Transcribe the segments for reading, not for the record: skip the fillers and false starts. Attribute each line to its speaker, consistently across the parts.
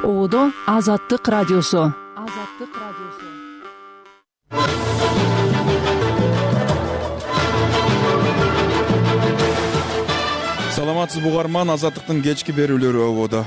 Speaker 1: Оодо Азаттык радиосу.
Speaker 2: Саламатсызбы угарман, Азаттыктын кечки берүүлөрү ободо.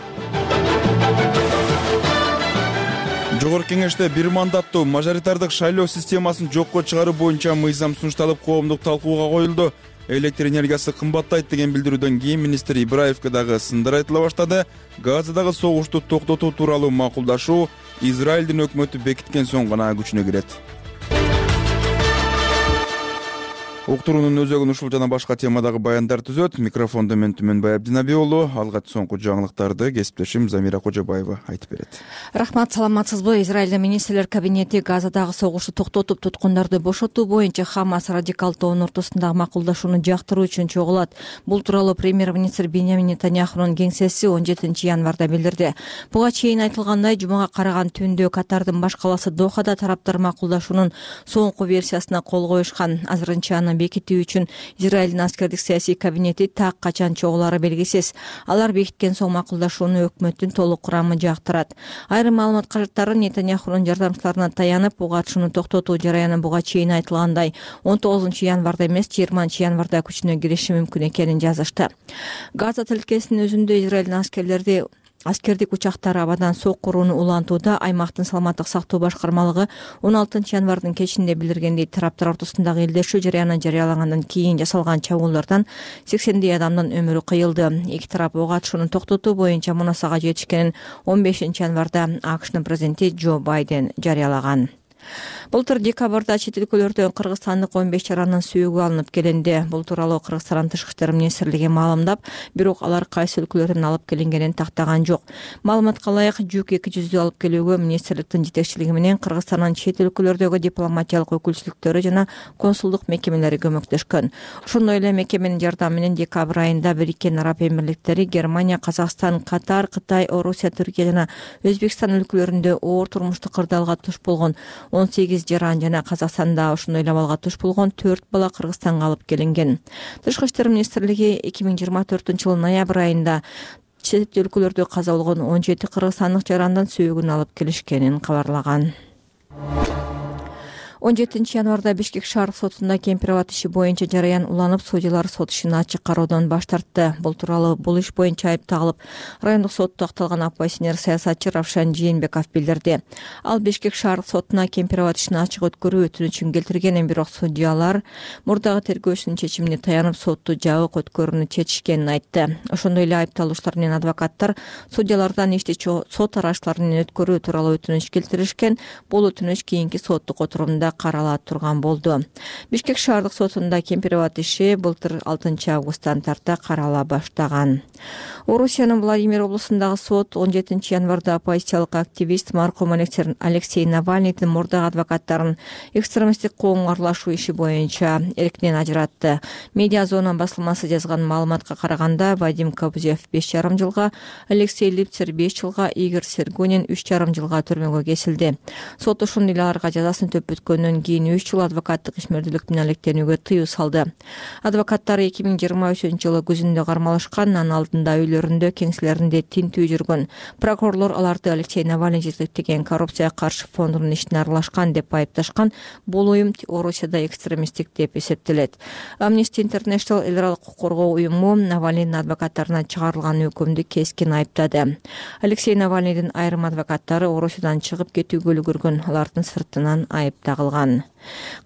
Speaker 2: Жогорку кеңеште бир мандаттуу мажоритардык шайлоо системасын жокко чыгаруу боюнча мыйзам сунушталып, коомдук талкууга коюлду. Электр энергиясы кымбаттайт деген билдирүүдөн кийин министр Ибраевке дагы сындар айтыла баштады. Газадагы согушту токтотуу тууралуу макулдашуу Израилдин өкмөтү бекиткен соң гана күчүнө кирет. Уктуруунун өзөгүн ушул жана башка темадагы баяндар түзөт. Микрофондо мен Түмөнбай Абдинабий уулу. Алгач соңку жаңылыктарды кесиптешим Замира Кожобаева айтып берет.
Speaker 3: Рахмат, саламатсызбы? Израилдин министрлер кабинети Газадагы согушту токтотуп, туткундарды бошотуу боюнча Хамас радикал тобунун ортосундагы макулдашууну жактыруу үчүн чогулат. Бул тууралуу премьер-министр Беньямин Нетаньяхунун кеңсеси 17 январда билдирди. Буга чейин айтылгандай, жумага караган түндө Катардын баш калаасы Дохада тараптар макулдашуунун соңку версиясына кол коюшкан. Азырынча аны бекитүү үчүн Израилдин аскердик саясий кабинети так качан чогулаары белгисиз. Алар бекиткен соң макулдашууну өкмөттүн толук курамы жактырат. Айрым маалымат каражаттары Нетаньяхунун жардамчыларына таянып, буга токтотуу жараяны буга чейин айтылгандай 19 январда эмес, 20 январда күчүнө кириши мүмкүн экенин жазышты. Газа тилкесинин өзүндө Израилдин аскердик учактары абадан соккурууну улантууда. Аймактын саламаттык сактоо башкармалыгы 16 январдын кечинде билдиргендей, тараптар ортосундагы элдешүү жарыяны жарыялагандан кийин жасалган чабуулдардан 80 адамдын өмүрү кыйылды. Эки тарап ок атышууну токтотуу боюнча мунасага жетишкенин 15 январда АКШнын президенти Джо Байден жарыялаган. Былтыр декабрда чет өлкөлөрдөн кыргызстандык 15 жаранын сүйөгү алынып келинди. Бул тууралуу Кыргызстан Тышкы иштер министрлиги маалымдап, бирок алар кайсы өлкөлөрдөн алып келингенин тактаган жок. Маалыматка ылайык, жүк 200 алып келүүгө министрликтин жетекчилиги менен Кыргызстандын чет өлкөлөрдөгү дипломатиялык өкүлчүлүктөрү жана консулдук мекемелери көмөктөшкөн. Ошондой эле мекеменин жардамы менен декабрь айында Бириккен Араб Эмирликтери, Германия, Казакстан, Катар, Кытай, Орусия, Түркия жана Өзбекстан өлкөлөрүндө оор турмуштук кырдаалга туш болгон 18 жаран жана Казакстанда ошондой эле абалга туш болгон 4 бала Кыргызстанга алып келинген. Тышкы иштер министрлиги 2024-жылдын ноябрь айында чет өлкөлөрдө каза болгон 17 кыргызстандык жарандын сүйөгүн алып келишкенин кабарлаган. 17 январда Бишкек шаардык сотунда Кемпирабад иши боюнча жараян уланып, судьялар сот ишин ачык кароодон баш тартты. Бул тууралуу бул иш боюнча айыпталып, райондук сотто акталган оппозиционер саясатчы Равшан Жээнбеков билдирди. Ал Бишкек шаардык сотуна Кемпирабад ишин ачык өткөрүү өтүнүчүн келтирген, бирок судьялар мурдагы тергөөчүнүн чечимине таянып, сотту жабык өткөрүүнү чечишкенин айтты. Ошондой эле айыпталуучулар менен адвокаттар судьялардан ишти сот арачылары менен өткөрүү тууралуу өтүнүч келтиришкен. Бул өтүнүч кийинки соттук отурумда каралат турган болду. Бишкек шаардык сотунда Кемпирабад иши былтыр 6 августтан тарта карала баштаган. Орусиянын Владимир облусундагы сот 17 январда оппозициялык активист маркум Алексей Навальныйдын мурдагы адвокаттарын экстремисттик коомго аралашуу иши боюнча эркинен ажыратты. Медиа зона басылмасы жазган маалыматка караганда, Вадим Кобзев 5,5 жылга, Алексей Липцер 5 жылга, Игорь Сергунин 3,5 жылга түрмөгө кесилди. Сот ошондой эле аларга жазасын төпөткөндөн кийин 3 жыл адвокаттык ишмердүүлүк менен алектенүүгө тыюу салды. Адвокаттар 2023-жылы күзүндө кармалышкан, анын алдында үйлөрүндө, кеңселеринде тинтүү жүргөн. Прокурорлор аларды Алексей Навальный жетектеген коррупцияга каршы фондунун ишине аралашкан деп айыпташкан. Бул уюм Орусияда экстремисттик деп эсептелет. Amnesty International эл аралык укук коргоо уюму Навальныйдын адвокаттарына чыгарылган өкүмдү кескин айыптады. Алексей Навальныйдын айрым адвокаттары Орусиядан чыгып кетүүгө үлгүргөн, алардын сыртынан айып тагылган.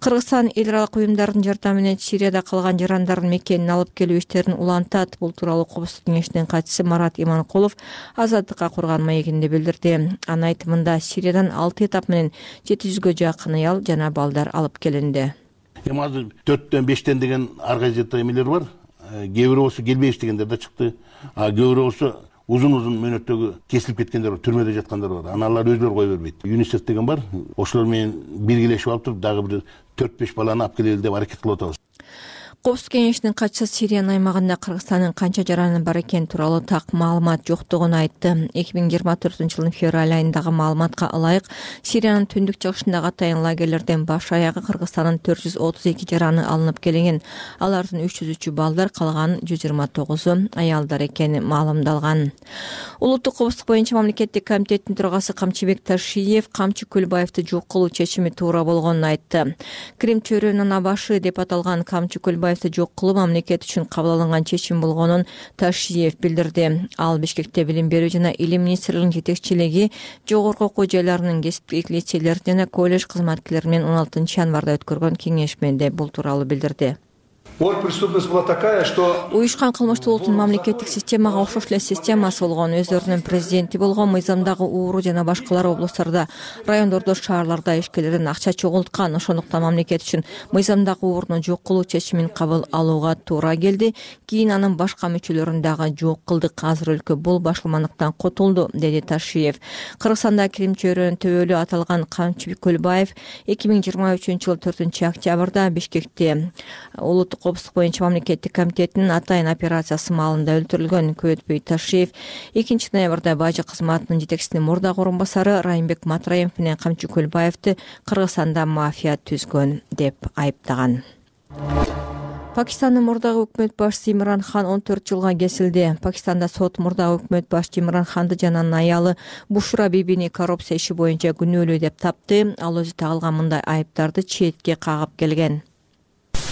Speaker 3: Кыргызстан эл аралык уюмдардын жардамы менен Сирияда калган жарандардын мекенин алып келүү иштерин улантат. Бул тууралуу Коопсуздук кеңешинин катчысы Марат Иманкулов Азаттыкка курган маегинде билдирди. Анын айтымында, Сириядан 6 этап менен 700гө жакын аял жана балдар алып келинди.
Speaker 4: Азыр 4-төн 5тен деген ар кайсы эмелер бар. Кээ бирөөсү келбейбиз дегендер да чыкты. Кээ бирөөсү узун мөөнөттөгү кесилип кеткендер бар, түрмөдө жаткандар бар. Алар өздөрү кое бербейт. ЮНИСЕФ деген бар. Ошолор менен биргелешип алып туруп, дагы бир 4-5 баланы алып келели деп аракет кылып атабыз.
Speaker 3: Коопсуздук кеңешинин катчысы Сириянын аймагында Кыргызстандын канча жараны бар экени тууралуу так маалымат жоктугун айтты. 2024-жылдын февраль айындагы маалыматка ылайык, Сириянын түндүк чыгышындагы атайын лагерлерден баш аягы Кыргызстандын 432 жараны алынып келген. Алардын 303 балдар, калган 129 аялдар экени маалымдалган. Улуттук коопсуздук боюнча мамлекеттик комитеттин төрагасы Камчыбек Ташиев Камчы Көлбаевди жок кылуу чечими туура болгонун айтты. Крим чөйрөнүн абашы деп аталган Камчы Көлбаевди жок кылуу мамлекет үчүн кабыл алынган чечим болгонун Ташиев билдирди. Ал Бишкекте билим берүү жана илим министрлигинин жетекчилиги, жогорку окуу жайларынын кесиптик лицейлер жана колледж кызматкерлери менен 16 январда өткөргөн кеңешмеде бул тууралуу билдирди.
Speaker 5: Преступность была такая, что
Speaker 3: Уюшкан кылмыштуулуктун мамлекеттик системага окшош эле системасы болгон, өздөрүнүн президенти болгон, мыйзамдагы ууру жана башкалар облустарда, райондордо, шаарларда ишкерлерден акча чогулткан. Ошондуктан мамлекет үчүн мыйзамдагы ууруну жок кылуу чечимин кабыл алууга туура келди. Кийин анын башка мүчөлөрүн дагы жок кылдык. Азыр өлкө бул башылмандыктан кутулду, деди Ташиев. Кыргызстанда Крим чөйрөнүн төбөлү аталган Камчыбек Көлбаев 2023-жылы 4-октябрда Бишкекте улуттук коопсуздук боюнча мамлекеттик комитетинин атайын операциясы маалында өлтүрүлгөн. Көтпөй Ташиев 2 ноябрда бажы кызматынын жетекчисинин мурдагы орун басары Райымбек Матраев менен Камчы Көлбаевди Кыргызстанда мафия түзгөн деп айыптаган. Пакистандын мурдагы өкмөт башчысы Имран Хан 14 жылга кесилди. Пакистанда сот мурдагы өкмөт башчы Имран Ханды жана анын аялы Бушра бибини коррупция иши боюнча күнөөлүү деп тапты. Ал өзү тагылган мындай айыптарды четке кагып келген.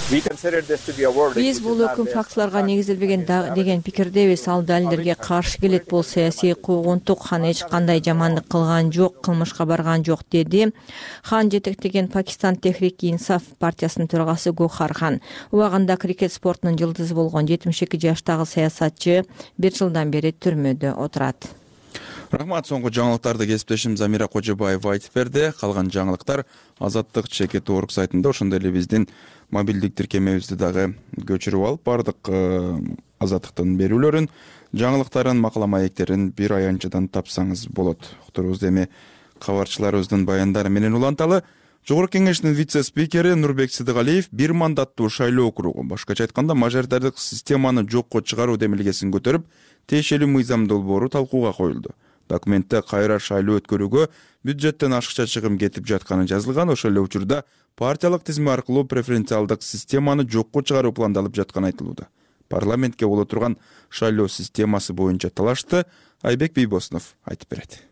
Speaker 3: Биз бул өкүм фактыларга негизделбеген деген пикирдебиз. Ал далилдерге каршы келет. Бул саясий куугунтук. Хан эч кандай жамандык кылган жок, кылмышка барган жок, деди. Хан жетектеген Пакистан Техрик-и-Инсаф партиясынын төрагасы Гохар Хан. Убагында крикет спортунун жылдызы болгон 72 жаштагы саясатчы 1 жылдан бери түрмөдө отурат.
Speaker 2: Рахмат. Соңку жаңылыктарды кесиптешим Замира Кожобаева айтып берди. Калган жаңылыктар Азаттык ЧК.org сайтында, ошондой эле биздин мобилдик тиркемебизди дагы көчүрүп алып, бардык Азаттыктын берүүлөрүн, жаңылыктарын, макала маектерин бир аянтчадан тапсаңыз болот. Уктурубузду эми кабарчыларыбыздын баяндары менен уланталы. Жогорку кеңештин вице-спикери Нурбек Сыдыгалиев бир мандаттуу шайлоо округу, башкача айтканда мажоритардык системаны жокко чыгаруу демилгесин көтөрүп, тиешелүү мыйзам долбоору талкууга коюлду. Документте кайра шайлоо өткөрүүгө бюджеттен ашыкча чыгым кетип жатканы жазылган. Ошол эле учурда партиялык тизме аркылуу преференциалдык системаны жокко чыгаруу пландалып жатканы айтылууда. Парламентке боло турган шайлоо системасы боюнча талашты Айбек Бийбосунов айтып берет.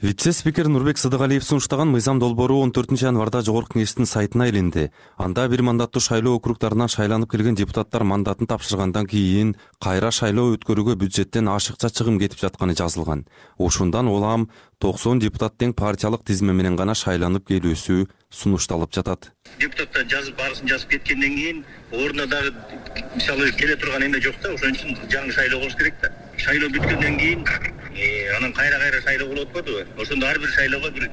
Speaker 6: Вице-спикер Нурбек Сыдыгалиев сунуштаган мыйзам долбоору 14 январда жогорку кеңештин сайтына илинди. Анда бир мандаттуу шайлоо округдарынан шайланып келген депутаттар мандатын тапшыргандан кийин кайра шайлоо өткөрүүгө бюджеттен ашыкча чыгым кетип жатканы жазылган. Ошондон улам 90 депутат тең партиялык тизме менен гана шайланып келүүсү сунушталып жатат.
Speaker 7: Депутаттар барысын жазып кеткенден кийин ордуна дагы мисалы келе турган эме жок да, ошон үчүн жаңы шайлоо болуш керек да. Шайлоо бүткөндөн кийин анан кайра шайлоо болуп атпадыбы? Ошондо ар бир шайлоого бир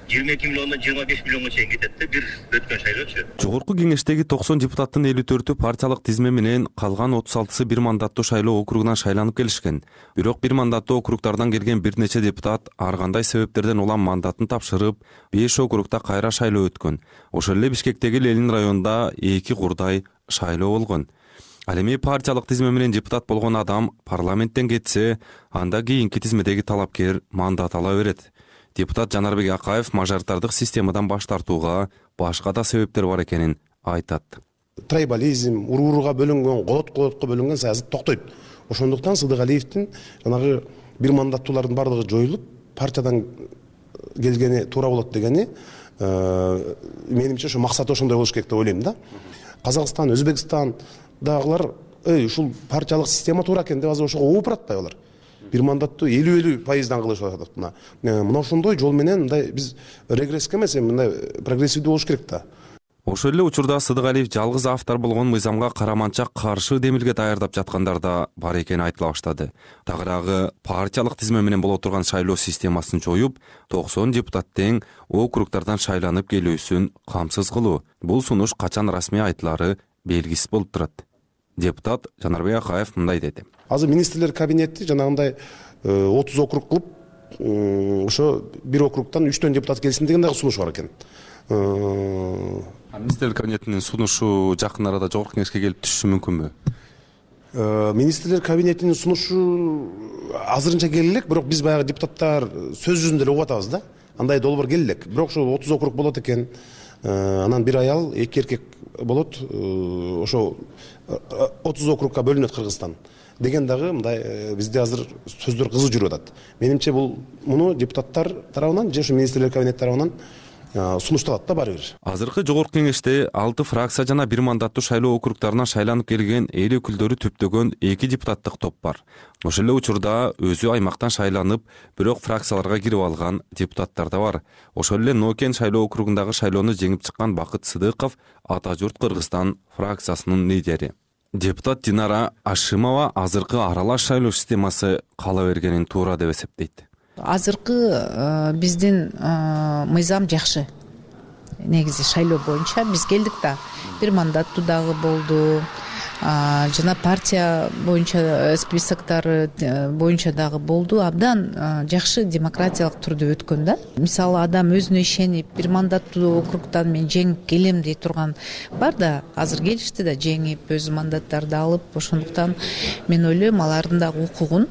Speaker 7: 22 миллиондон 25 миллионго чейин кетет да, бир өткөн шайлоочу.
Speaker 6: Жогорку кеңештеги 90 депутаттын 54-ü партиялык тизме менен, калган 36-сы бир мандаттуу шайлоо округунан шайланып келишкен. Бирок бир мандаттуу округдардан келген бир нече депутат ар кандай себептерден улам мандатын тапшырып, 5 округда кайра шайлоо өткөн. Ошол эле Бишкектеги Ленин районунда 2 курдай шайлоо болгон. Ал эми партиялык тизме менен депутат болгон адам парламенттен кетсе, анда кийинки тизмедеги талапкер мандат ала берет. Депутат Жанарбек Акаев мажоритардык системадан баш тартууга башка да себептер бар экенин айтат.
Speaker 8: Трайбализм, урууга бөлүнгөн, колотко бөлүнгөн саясат токтойт. Ошондуктан Сыдыгалиевдин жанагы бир мандаттуулардын бардыгы жоюлуп, партиядан келгени туура болот дегени менимче ошо максаты ошондой болуш керек деп ойлойм да. Казакстан, Өзбекстан дагылар ушул партиялык система туура экен деп азыр ошого ооп баратпайбы алар? Бир мандаттуу 50% кылышып атат. Мына ошондой жол менен мындай биз регресске эмес, мындай прогрессивдүү болуш керек да.
Speaker 6: Ошол эле учурда Сыдыгалиев жалгыз автор болгон мыйзамга караманча каршы демилге даярдап жаткандар да бар экени айтыла баштады. Тагыраагы партиялык тизме менен боло турган шайлоо системасын жоюп, 90 депутат тең округдардан шайланып келүүсүн камсыз кылуу. Бул сунуш качан расмий айтылары белгисиз болуп турат. Депутат Жанарбек Акаев мындай деди.
Speaker 8: Азыр министрлер кабинети жанагындай 30 округ кылып, ошо бир округдан 3 депутат келсин деген дагы сунуш бар экен.
Speaker 6: Министрлер кабинетинин сунушу жакын арада жогорку кеңешке келип түшүшү мүмкүнбү?
Speaker 8: Министрлер кабинетинин сунушу азырынча келе элек, бирок биз баягы депутаттар сөз жүзүндө эле угуп атабыз да. Андай долбоор келе элек. Бирок ошо 30 округ болот экен. Анан бир аял, 2 эркек болот. Ошо 30 округка бөлүнөт Кыргызстан деген дагы мындай бизде азыр сөздөр кызуу жүрүп атат. Менимче муну депутаттар тарабынан же ошо министрлер кабинет тарабынан сунушталат да баары бир.
Speaker 6: Азыркы жогорку кеңеште 6 фракция жана 1 мандаттуу шайлоо округдарынан шайланып келген эл өкүлдөрү түптөгөн 2 депутаттык топ бар. Ошол эле учурда өзү аймактан шайланып, бирок фракцияларга кирип алган депутаттар да бар. Ошол эле Нокен шайлоо округундагы шайлоону жеңип чыккан Бакыт Сыдыков Ата журт Кыргызстан фракциясынын лидери. Депутат Динара Ашимова азыркы аралаш шайлоо системасы кала бергенин туура деп эсептейт.
Speaker 9: Азыркы биздин мыйзам жакшы. Негизи шайлоо боюнча биз келдик да. 1 мандаттуу дагы болду. Жана партия боюнча списоктор боюнча дагы болду. Абдан жакшы демократиялык түрдө өткөн да. Мисалы адам өзүнө ишенип 1 мандаттуу округдан мен жеңип келем дей турган бар да. Азыр келишти да жеңип өз мандаттарды алып. Ошондуктан мен ойлойм алардын дагы укугун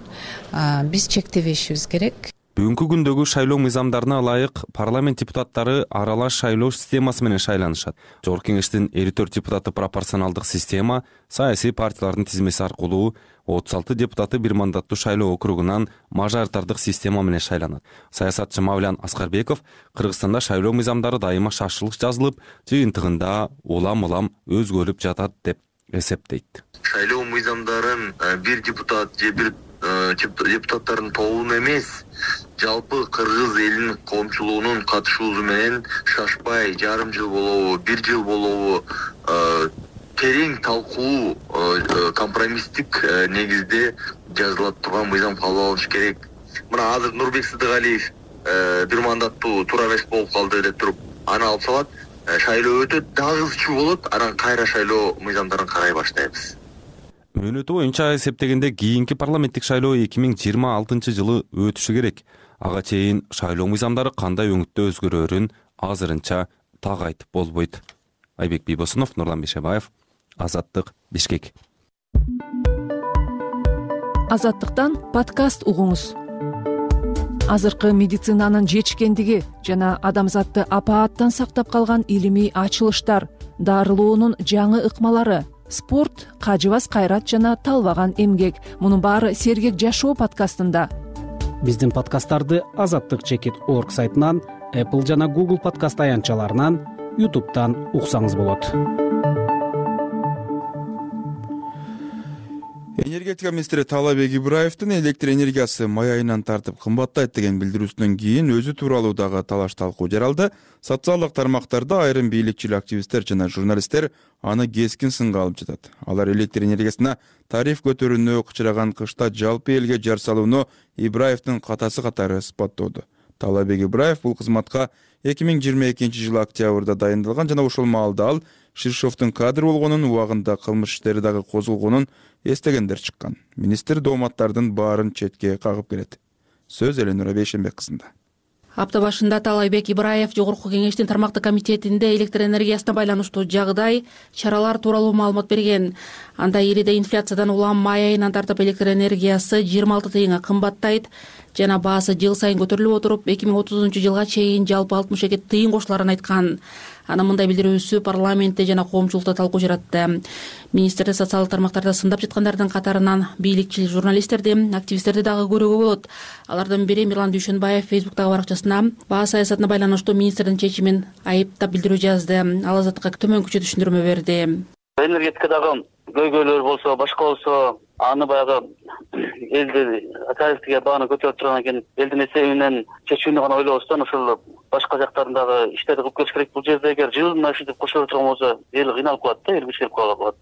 Speaker 9: биз чектебешибиз керек.
Speaker 6: Бүгүнкү күндөгү шайлоо мыйзамдарына ылайык парламент депутаттары аралаш шайлоо системасы менен шайланышат. Жогорку кеңештин 54 депутаты пропорционалдык система, саясий партиялардын тизмеси аркылуу 36 депутаты 1 мандаттуу шайлоо округунан мажоритардык система менен шайланат. Саясатчы Мавлян Аскарбеков Кыргызстанда шайлоо мыйзамдары дайыма шашылык жазылып, жыйынтыгында улам өзгөрүп жатат деп эсептейт.
Speaker 10: Шайлоо мыйзамдарын бир депутат же бир депутаттардын тобунун эмес, жалпы кыргыз элинин коомчулугунун катышуусу менен шашпай жарым жыл болобу, 1 жыл болобу терең талкуу компромисстик негизде жазылат турган мыйзам кабыл алыныш керек. Мына азыр Нурбек Сыдыгалиев 1 мандаттуу туура эмес болуп калды деп туруп аны алып салат, шайлоо өтөт, дагы ызчуу болот, анан кайра шайлоо мыйзамдарын карай баштайбыз.
Speaker 6: Мөөнөтү боюнча эсептегенде кийинки парламенттик шайлоо 2026 жылы өтүшү керек. Ага чейин шайлоо мыйзамдары кандай өңүттө өзгөрөрүн азырынча так айтып болбойт. Айбек Бийбосунов, Нурлан Бишебаев, Азаттык, Бишкек.
Speaker 1: Азаттыктан подкаст угуңуз. Азыркы медицинанын жетишкендиги жана адамзатты апааттан сактап калган илимий ачылыштар, дарылоонун жаңы ыкмалары, спорт, кажыбас кайрат жана талбаган эмгек. Мунун баары Сергек жашоо подкастында.
Speaker 11: Биздин подкасттарды azattik.org сайтынан, Apple жана Google подкаст аянтчаларынан, YouTube'дан уксаңыз болот.
Speaker 2: Энергетика министри Таалайбек Ибраевдин электр энергиясы май айынан тартып кымбаттайт деген билдирүүсүнөн кийин өзү тууралуу дагы талаш талкуу жаралды. Социалдык тармактарда айрым бийликчил активисттер жана журналисттер аны кескин сынга алып жатат. Алар электр энергиясына тариф көтөрүүнү кычыраган кышта жалпы элге жар салууну Ибраевдин катасы катары испаттоодо. Таалайбек Ибраев бул кызматка 2022 жылы октябрда дайындалган жана ошол маалда ал Ширшовдун кадр болгонун, убагында кылмыш иштери дагы козулгонун эстегендер чыккан. Министр дооматтардын баарын четке кагып келет. Сөз Эленура Бейшенбек кызында.
Speaker 12: Апта башында Таалайбек Ибраев Жогорку кеңештин тармактык комитетинде электр энергиясына байланыштуу жагдай, чаралар тууралуу маалымат берген. Анда ириде инфляциядан улам май айынан тартып электр энергиясы 26 тыйынга кымбаттайт жана баасы жыл сайын көтөрүлүп отуруп, 2030 жылга чейин жалпы 62 тыйын кошуларын айткан. Анын мындай билдирүүсү парламентте жана коомчулукта талкуу жаратты. Министрди социалдык тармактарда сындап жаткандардын катарынан бийликчил журналисттерди, активисттерди дагы көрүүгө болот. Алардын бири Мирлан Дүйшөнбаев Фейсбуктагы баракчасына баа саясатына байланыштуу министрдин чечимин айыптап билдирүү жазды. Ал Азаттыкка төмөнкүчө түшүндүрмө берди.
Speaker 13: Энергетикадагы көйгөйлөр болсо, башка болсо, аны баягы элди тарифтиге бааны көтөрүп турган экен, элдин эсебинен чечүүнү гана ойлобостон ошол башка жактарындагы иштерди кылып келиш керек. Бул жерде эгер жылына ушинтип кошо турган болсо, эл кыйналып калат да, эл кичирип калат.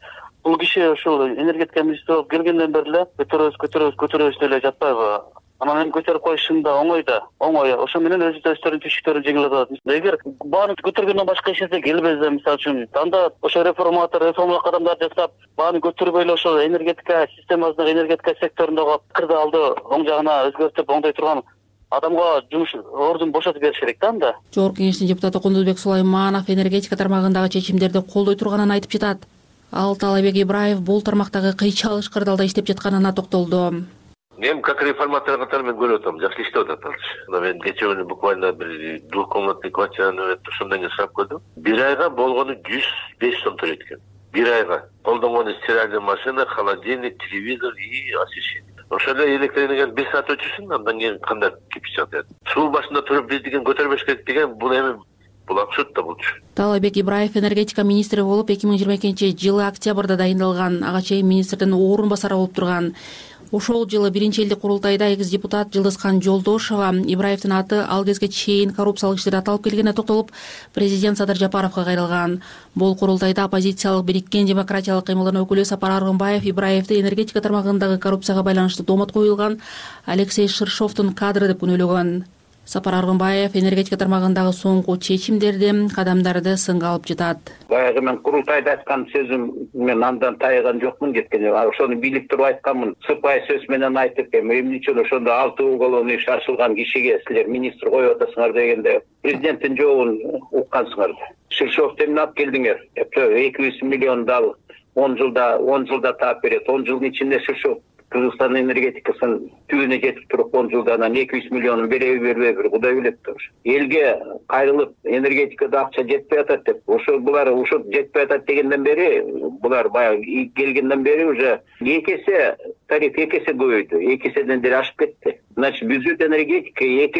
Speaker 13: Бул киши ошол энергетика министри болуп келгенден бери эле көтөрөбүз деле жатпайбы? Анан эми көтөрүп коюшун да оңой да, оңой. Ошо менен өздөрүнүн түйшүктөрүн жеңилдетип атат. Эгер бааны көтөргөндөн башка эч нерсе келбесе, мисалы үчүн, анда ошо реформалык кадамдар жасап, бааны көтөрбөй эле ошол энергетика системасындагы энергетика секторундагы пикирди алды оң жагына өзгөртүп, оңдой турган адамга жумуш ордун бошотуп бериш керек да анда.
Speaker 12: Жогорку кеңештин депутаты Кундузбек Сулайманов энергетика тармагындагы чечимдерди колдой турганын айтып жатат. Ал Таалайбек Ибраев бул тармактагы кыйчалыш кырдаалда иштеп жатканына токтолду.
Speaker 14: Мен как реформатор катары мен көрүп атам, жакшы иштеп атат азыр. Мен кечээ күнү буквально бир двухкомнатный квартираны өтүп ошондон кийин сурап көрдүм. Бир айга болгону 105 сом төлөйт экен. Бир айга колдонгону стиральный машина, холодильник, телевизор и освещение. Ошол эле электроэнергияны 1 саат өчүрсүн, андан кийин кандай кипиш жатат. Суу башында туруп биз деген көтөрбөш керек деген бул эми бул абсурд да болчу.
Speaker 12: Таалайбек Ибраев энергетика министри болуп 2022-жылы октябрда дайындалган. Ага чейин министрдин орун басары болуп турган. Ошол жылы биринчи элдик курултайда экс-депутат Жылдызкан Жолдошова Ибраевдин аты ал кезге чейин коррупциялык иштерде аталып келгенине токтолуп, президент Садыр Жапаровго кайрылган. Бул курултайда оппозициялык Бириккен демократиялык кыймылдын өкүлү Сапар Аргынбаев Ибраевди энергетика тармагындагы коррупцияга байланыштуу доомат коюлган Алексей Ширшовдун кадры деп күнөөлөгөн. Сапар Аргынбаев энергетика тармагындагы соңку чечимдерди, кадамдарды сынга алып жатат.
Speaker 15: Баягы мен курултайда айткан сөзүм мен андан тайган жокмун кеткенде. Ошону билип туруп айтканмын. Сыпайы сөз менен айтып, эмне үчүн ошондо 6 уголовный иш ачылган кишиге силер министр коюп атасыңар дегенде президенттин жообун уккансыңар. Ширшовду эмне алып келдиңер? 200 миллион дал 10 жылда таап берет. 10 жылдын ичинде Ширшов Кыргызстан энергетикасын түбүнө жетип туруп 10 жылда анан 200 миллионун береби Кудай билет тур. Элге кайрылып энергетикада акча жетпей атат деп, булар жетпей атат дегенден бери, булар баягы келгенден бери уже 2 эсе тариф 2 эсе көбөйдү, 2 эседен деле ашып кетти. Значит, бюджет энергетика 2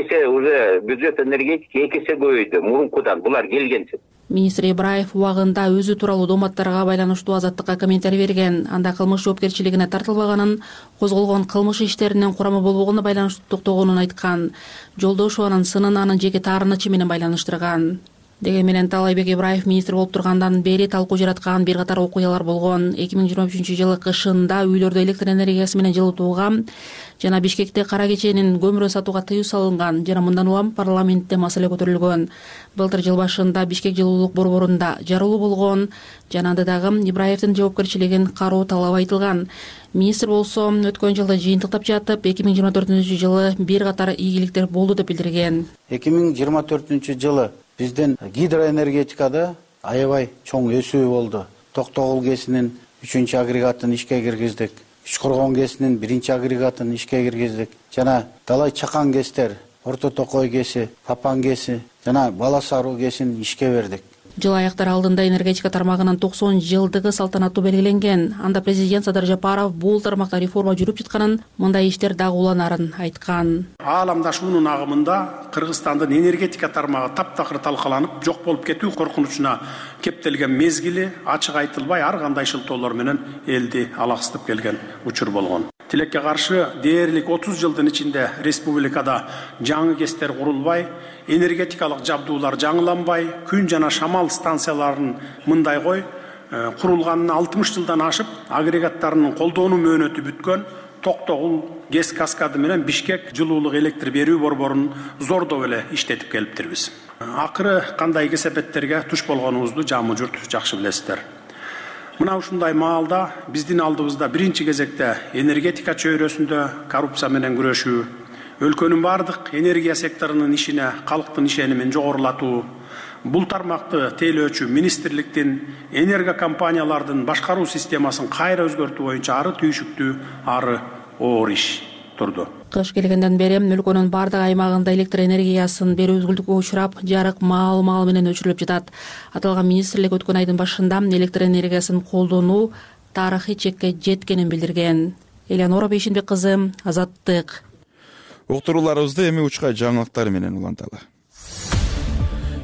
Speaker 15: эсе көбөйдү мурункудан булар келгенче.
Speaker 12: Министр Ибраев убагында өзү тууралуу дооматтарга байланыштуу Азаттыкка комментарий берген. Анда кылмыш жоопкерчилигине тартылбаганын, козголгон кылмыш иштеринин курамы болбогонуна байланыштуу токтогонун айткан. Жолдошованын сынын анын жеке таарынычы менен байланыштырган. Деген менен Таалайбек Ибраев министр болуп тургандан бери талкуу жараткан бир катар окуялар болгон. 2023-жылы кышында үйлөрдө электр энергиясы менен жылытууга жана Бишкекте кара кеченин көмүрүн сатууга тыюу салынган жана мындан улам парламентте маселе көтөрүлгөн. Былтыр жыл башында Бишкек жылуулук борборунда жарылуу болгон жана анда дагы Ибраевдин жоопкерчилигин кароо талап айтылган. Министр болсо өткөн жылда жыйынтыктап жатып, 2024-жылы бир катар ийгиликтер болду деп билдирген.
Speaker 16: 2024-жылы биздин гидроэнергетикада аябай чоң өсүү болду. Токтогул КЭСинин 3-чү агрегатын ишке киргиздик. Ичкоргон КЭСинин 1-чи агрегатын ишке киргиздик. Жана Далай Чакан КЭСтер, Орто Токой КЭСи, Папан КЭСи жана Бала Саруу КЭСин ишке бердик.
Speaker 12: Жыл аяктары алдында энергетика тармагынын 90 жылдыгы салтанаттуу белгиленген. Анда президент Садыр Жапаров бул тармакта реформа жүрүп жатканын, мындай иштер дагы уланарын айткан.
Speaker 17: Ааламдашуунун агымында Кыргызстандын энергетика тармагы таптакыр талкаланып, жок болуп кетүү коркунучуна кептелген мезгили ачык айтылбай ар кандай шылтоолор менен элди алаксытып келген учур болгон. Тилекке каршы дээрлик 30 жылдын ичинде республикада жаңы КЭСтер курулбай, энергетикалык жабдуулар жаңыланбай, күн жана шамал станцияларын мындай кой курулганына 60 жылдан ашып, агрегаттарынын колдонуу мөөнөтү бүткөн Токтогул КЭС каскады менен Бишкек жылуулук электр берүү борборун зордоп эле иштетип келиптирбиз. Акыры кандай кесепеттерге туш болгонубузду жамы журт жакшы билесиздер. Мына ушундай маалда биздин алдыбызда биринчи кезекте энергетика чөйрөсүндө коррупция менен күрөшүү, өлкөнүн бардык энергия секторунун ишине калктын ишенимин жогорулатуу, бул тармакты тейлөөчү министрликтин энергокомпаниялардын башкаруу системасын кайра өзгөртүү боюнча ары түйшүктүү, ары оор иш турду.
Speaker 12: Кыш келгенден бери өлкөнүн бардык аймагында электр энергиясын берүү үзгүлтүккө учурап, жарык маал менен өчүрүлүп жатат. Аталган министрлик өткөн айдын башында электр энергиясын колдонуу тарыхый чекке жеткенин билдирген. Элеонора Бейшенбек кызы, Азаттык.
Speaker 2: Уктурууларыбызды эми учкай жаңылыктар менен уланталы.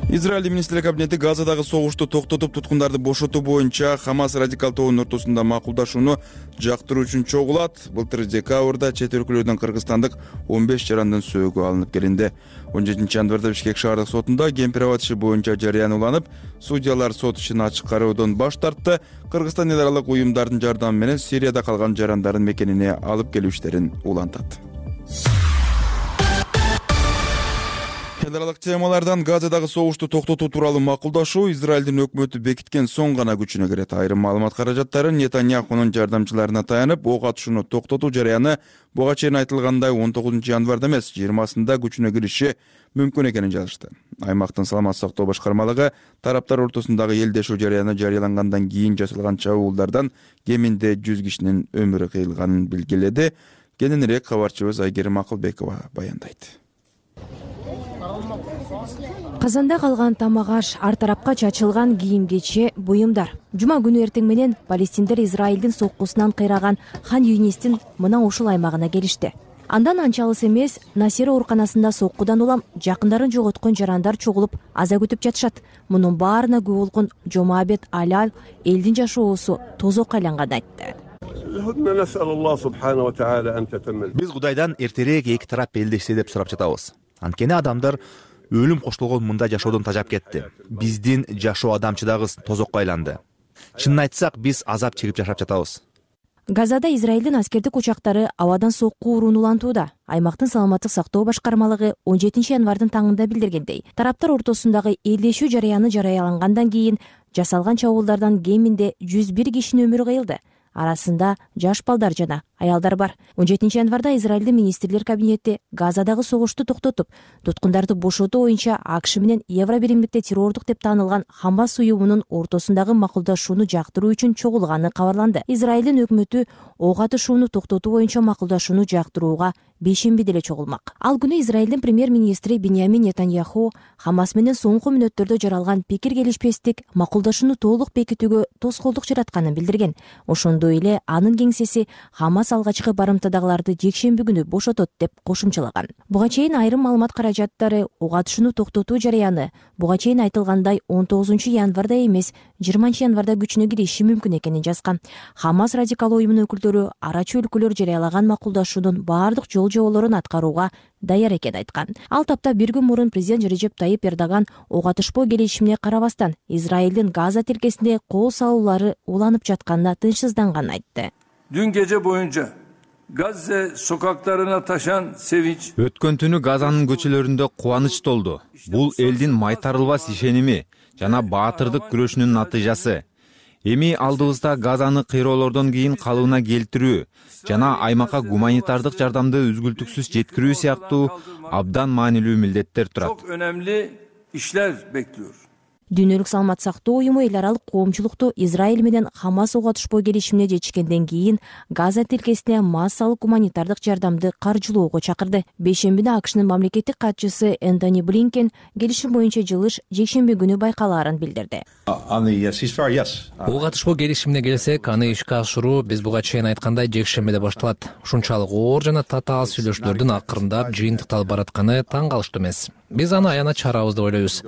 Speaker 2: Израиль министрлик кабинети Газадагы согушту токтотуп, туткундарды бошотуу боюнча Хамас радикал тобунун ортосунда макулдашууну жактыруу үчүн чогулат. Былтыр декабрда чет өлкөлөрдөн кыргызстандык 15 жарандын сөөгү алынып келинди. 17 январда Бишкек шаардык сотунда кемпир-абад иши боюнча жарыян уланып, судьялар сот ишин ачык кароодон баш тартты. Кыргызстан эл аралык уюмдардын жардамы менен Сирияда калган жарандардын мекенине алып келүү иштерин улантат. Эл аралык темалардан Газадагы согушту токтотуу тууралуу макулдашуу Израилдин өкмөтү бекиткен соң гана күчүнө кирет. Айрым маалымат каражаттары Нетаньяхунун жардамчыларына таянып, ок атышууну токтотуу жараяны буга чейин айтылгандай 19 январда эмес, 20-сында күчүнө кириши мүмкүн экенин жазышты. Аймактын саламаттык сактоо башкармалыгы тараптар ортосундагы элдешүү жараяны жарыялангандан кийин жасалган чабуулдардан кеминде 100 кишинин өмүрү кыйылганын белгиледи. Кененирээк кабарчыбыз Айгерим Акылбекова баяндайт.
Speaker 18: Казанда калган тамак-аш, ар тарапка чачылган кийим-кече, буюмдар. Жума күнү эртең менен палестиндер Израилдин соккусунан кыйраган Хан Юнистин мына ушул аймагына келишти. Андан анча алыс эмес Насир ооруканасында соккудан улам жакындарын жоготкон жарандар чогулуп аза күтүп жатышат. Мунун баарына күбө болгон Жомабет Алал элдин жашоосу тозокко айланганын айтты.
Speaker 19: Биз Кудайдан эртерээк эки тарап элдешсе деп сурап жатабыз. Анткени адамдар өлүм коштолгон мында жашоодон тажап кетти. Биздин жашоо адамчыдагы тозокко айланды. Чынын айтсак, биз азап чегип жашап жатабыз.
Speaker 18: Газада Израилдин аскердик учактары абадан сокку урууну улантууда. Аймактын саламаттык сактоо башкармалыгы 17 январдын таңында билдиргендей, тараптар ортосундагы элдешүү жараяны жарыялангандан кийин жасалган чабуулдардан кеминде 101 кишинин өмүрү кыйылды. Арасында жаш балдар жана аялдар бар. 17 январда Израилдин министрлер кабинети Газадагы согушту токтотуп, туткундарды бошотуу боюнча АКШ менен Евробиримдикте террордук деп таанылган Хамас уюмунун ортосундагы макулдашууну жактыруу үчүн чогулганы кабарланды. Израилдин өкмөтү ок атышууну токтотуу боюнча макулдашууну жактырууга бейшембиде эле чогулмак. Ал күнү Израилдин премьер-министри Биньямин Нетаньяху Хамас менен соңку мүнөттөрдө жаралган пикир келишпестик макулдашууну толук бекитүүгө тоскоолдук жаратканын билдирген. Ошондой эле анын кеңсеси Хамас алгачкы барымтадагыларды жекшемби күнү бошотот деп кошумчалаган. Буга чейин айрым маалымат каражаттары ок атышууну токтотуу жараяны буга чейин айтылгандай 19 январда эмес, 20 январда күчүнө кириши мүмкүн экенин жазган. Хамас радикал уюмунун өкүлдөрү арачы өлкөлөр жарыялаган макулдашуунун баардык жол-жоболорун аткарууга даяр экенин айткан. Ал тапта бир күн мурун президент Режеп Тайип Эрдоган ок атышпоо келишимине карабастан Израилдин Газа тилкесинде кол салуулары уланып жатканына тынчсызданганын айтты.
Speaker 20: Dün gece boyunca Gazze sokaklarına taşan sevinç.
Speaker 21: Өткөн түнү Газанын көчөлөрүндө кубаныч толду. Бул элдин майтарылбас ишеними жана баатырдык күрөшүнүн натыйжасы. Эми алдыбызда Газаны кыйроолордон кийин калыбына келтирүү жана аймакка гуманитардык жардамды үзгүлтүксүз жеткирүү сыяктуу абдан маанилүү милдеттер турат.
Speaker 20: Çok önemli işler bekliyor.
Speaker 18: Дүйнөлүк саламат сактоо уюму эл аралык коомчулукту Израиль менен Хамас ок атышпоо келишимине жетишкенден кийин Газа тилкесине массалык гуманитардык жардамды каржылоого чакырды. Бейшембиде АКШнын мамлекеттик катчысы Энтони Блинкен келишим боюнча жылыш жекшемби күнү байкалаарын билдирди.
Speaker 22: Ок атышпоо келишимине келсек, аны ишке ашыруу биз буга чейин айткандай жекшембиде башталат. Ушунчалык оор жана татаал сүйлөшүүлөрдүн акырындап жыйынтыкталып баратканы таң калыштуу эмес. Биз аны аянат чарабыз деп ойлойбуз.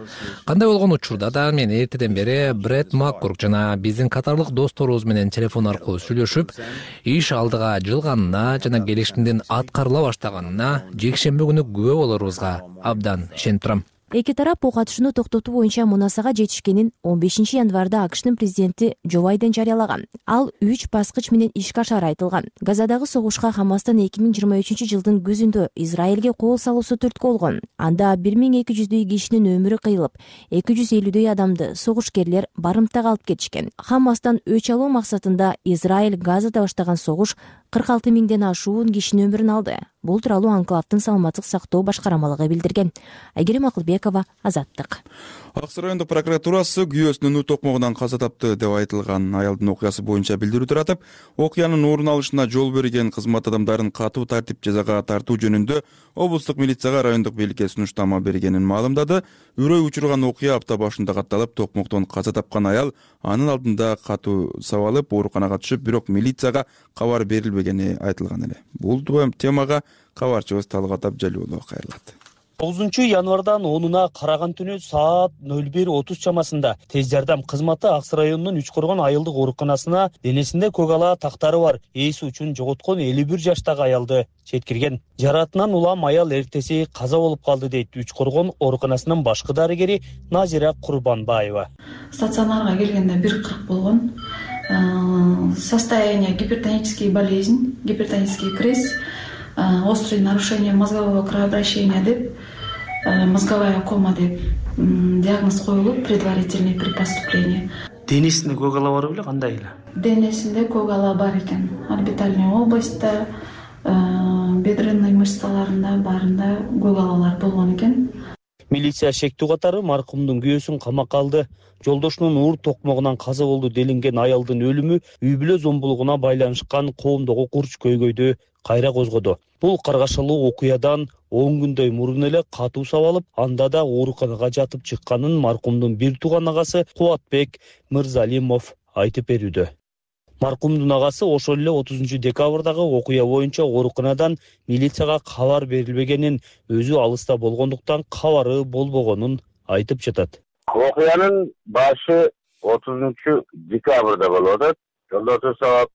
Speaker 22: Кандай болгон учурда да мен эртеден бери Бред Маккурк жана биздин катарлык досторубуз менен телефон аркылуу сүйлөшүп, иш алдыга жылганына жана келишимдин аткарыла баштаганына жекшемби күнү күбө болорубузга абдан ишенип турам.
Speaker 18: Эки тарап ок атышууну токтотуу боюнча мунасага жетишкенин 15 январда АКШнын президенти Джо Байден жарыялаган. Ал 3 баскыч менен ишке ашары айтылган. Газадагы согушка Хамастын 2023 жылдын күзүндө Израилге кол салуусу түрткү болгон. Анда 1200 кишинин өмүрү кыйылып, 250 адамды согушкерлер барымтага алып кетишкен. Хамастан өч алуу максатында Израиль Газада баштаган согуш 46 миңден ашуун кишинин өмүрүн алды. Бул тууралуу анклавдын саламаттык сактоо башкармалыгы билдирген. Айгерим Акылбекова, Азаттык.
Speaker 2: Аксы райондук прокуратурасы күйөөсүнүн ут токмогунан каза тапты деп айтылган аялдын окуясы боюнча билдирүү таратып, окуянын орун алышына жол берген кызмат адамдарын катуу тартип жазага тартуу жөнүндө облустук милицияга райондук бийликке сунуштама бергенин маалымдады. Үрөй учурган окуя апта башында катталып, токмоктон каза тапкан аял анын алдында катуу сабалып ооруканага түшүп, бирок милицияга кабар берилбегени айтылган эле. Бул темага кабарчыбыз Талгат Абжалиулов кайрылат.
Speaker 23: 9 январдан 10-уна караган түнү саат 01:30 чамасында тез жардам кызматы Аксы районунун Үчкоргон айылдык ооруканасына денесинде көк ала тактары бар эси үчүн жоготкон 51 жаштагы аялды жеткирген. Жаратынан улам аял эртеси каза болуп калды дейт Үчкоргон ооруканасынын башкы дарыгери Назира Курбанбаева.
Speaker 24: Стационарга келгенде 1:40 болгон. Состояние гипертонический болезнь, гипертонический криз, острые нарушения мозгового кровообращения деп мозговая кома деп диагноз коюлуп, предварительный при поступлении.
Speaker 23: Денесинде көк ала бар беле, кандай эле?
Speaker 24: Денесинде көк ала бар экен. Орбитальный областьта, бедренный мышцаларында баарында көк алалар болгон экен.
Speaker 23: Милиция шектүү катары маркумдун күйөөсүн камакка алды. Жолдошунун уур токмогунан каза болду делинген аялдын өлүмү үй бүлө зомбулугуна байланышкан коомдогу курч көйгөйдү кайра козгоду. Бул каргашалуу окуядан 10 күндөй мурун эле катуу сабалып, анда да ооруканага жатып чыкканын маркумдун бир тууган агасы Кубатбек Мырзалимов айтып берүүдө. Маркумдун агасы ошол эле 30 декабрдагы окуя боюнча ооруканадан милицияга кабар берилбегенин, өзү алыста болгондуктан кабары болбогонун айтып жатат.
Speaker 3: Окуянын башы 30 декабрда болуп атат. Жолдошу сабап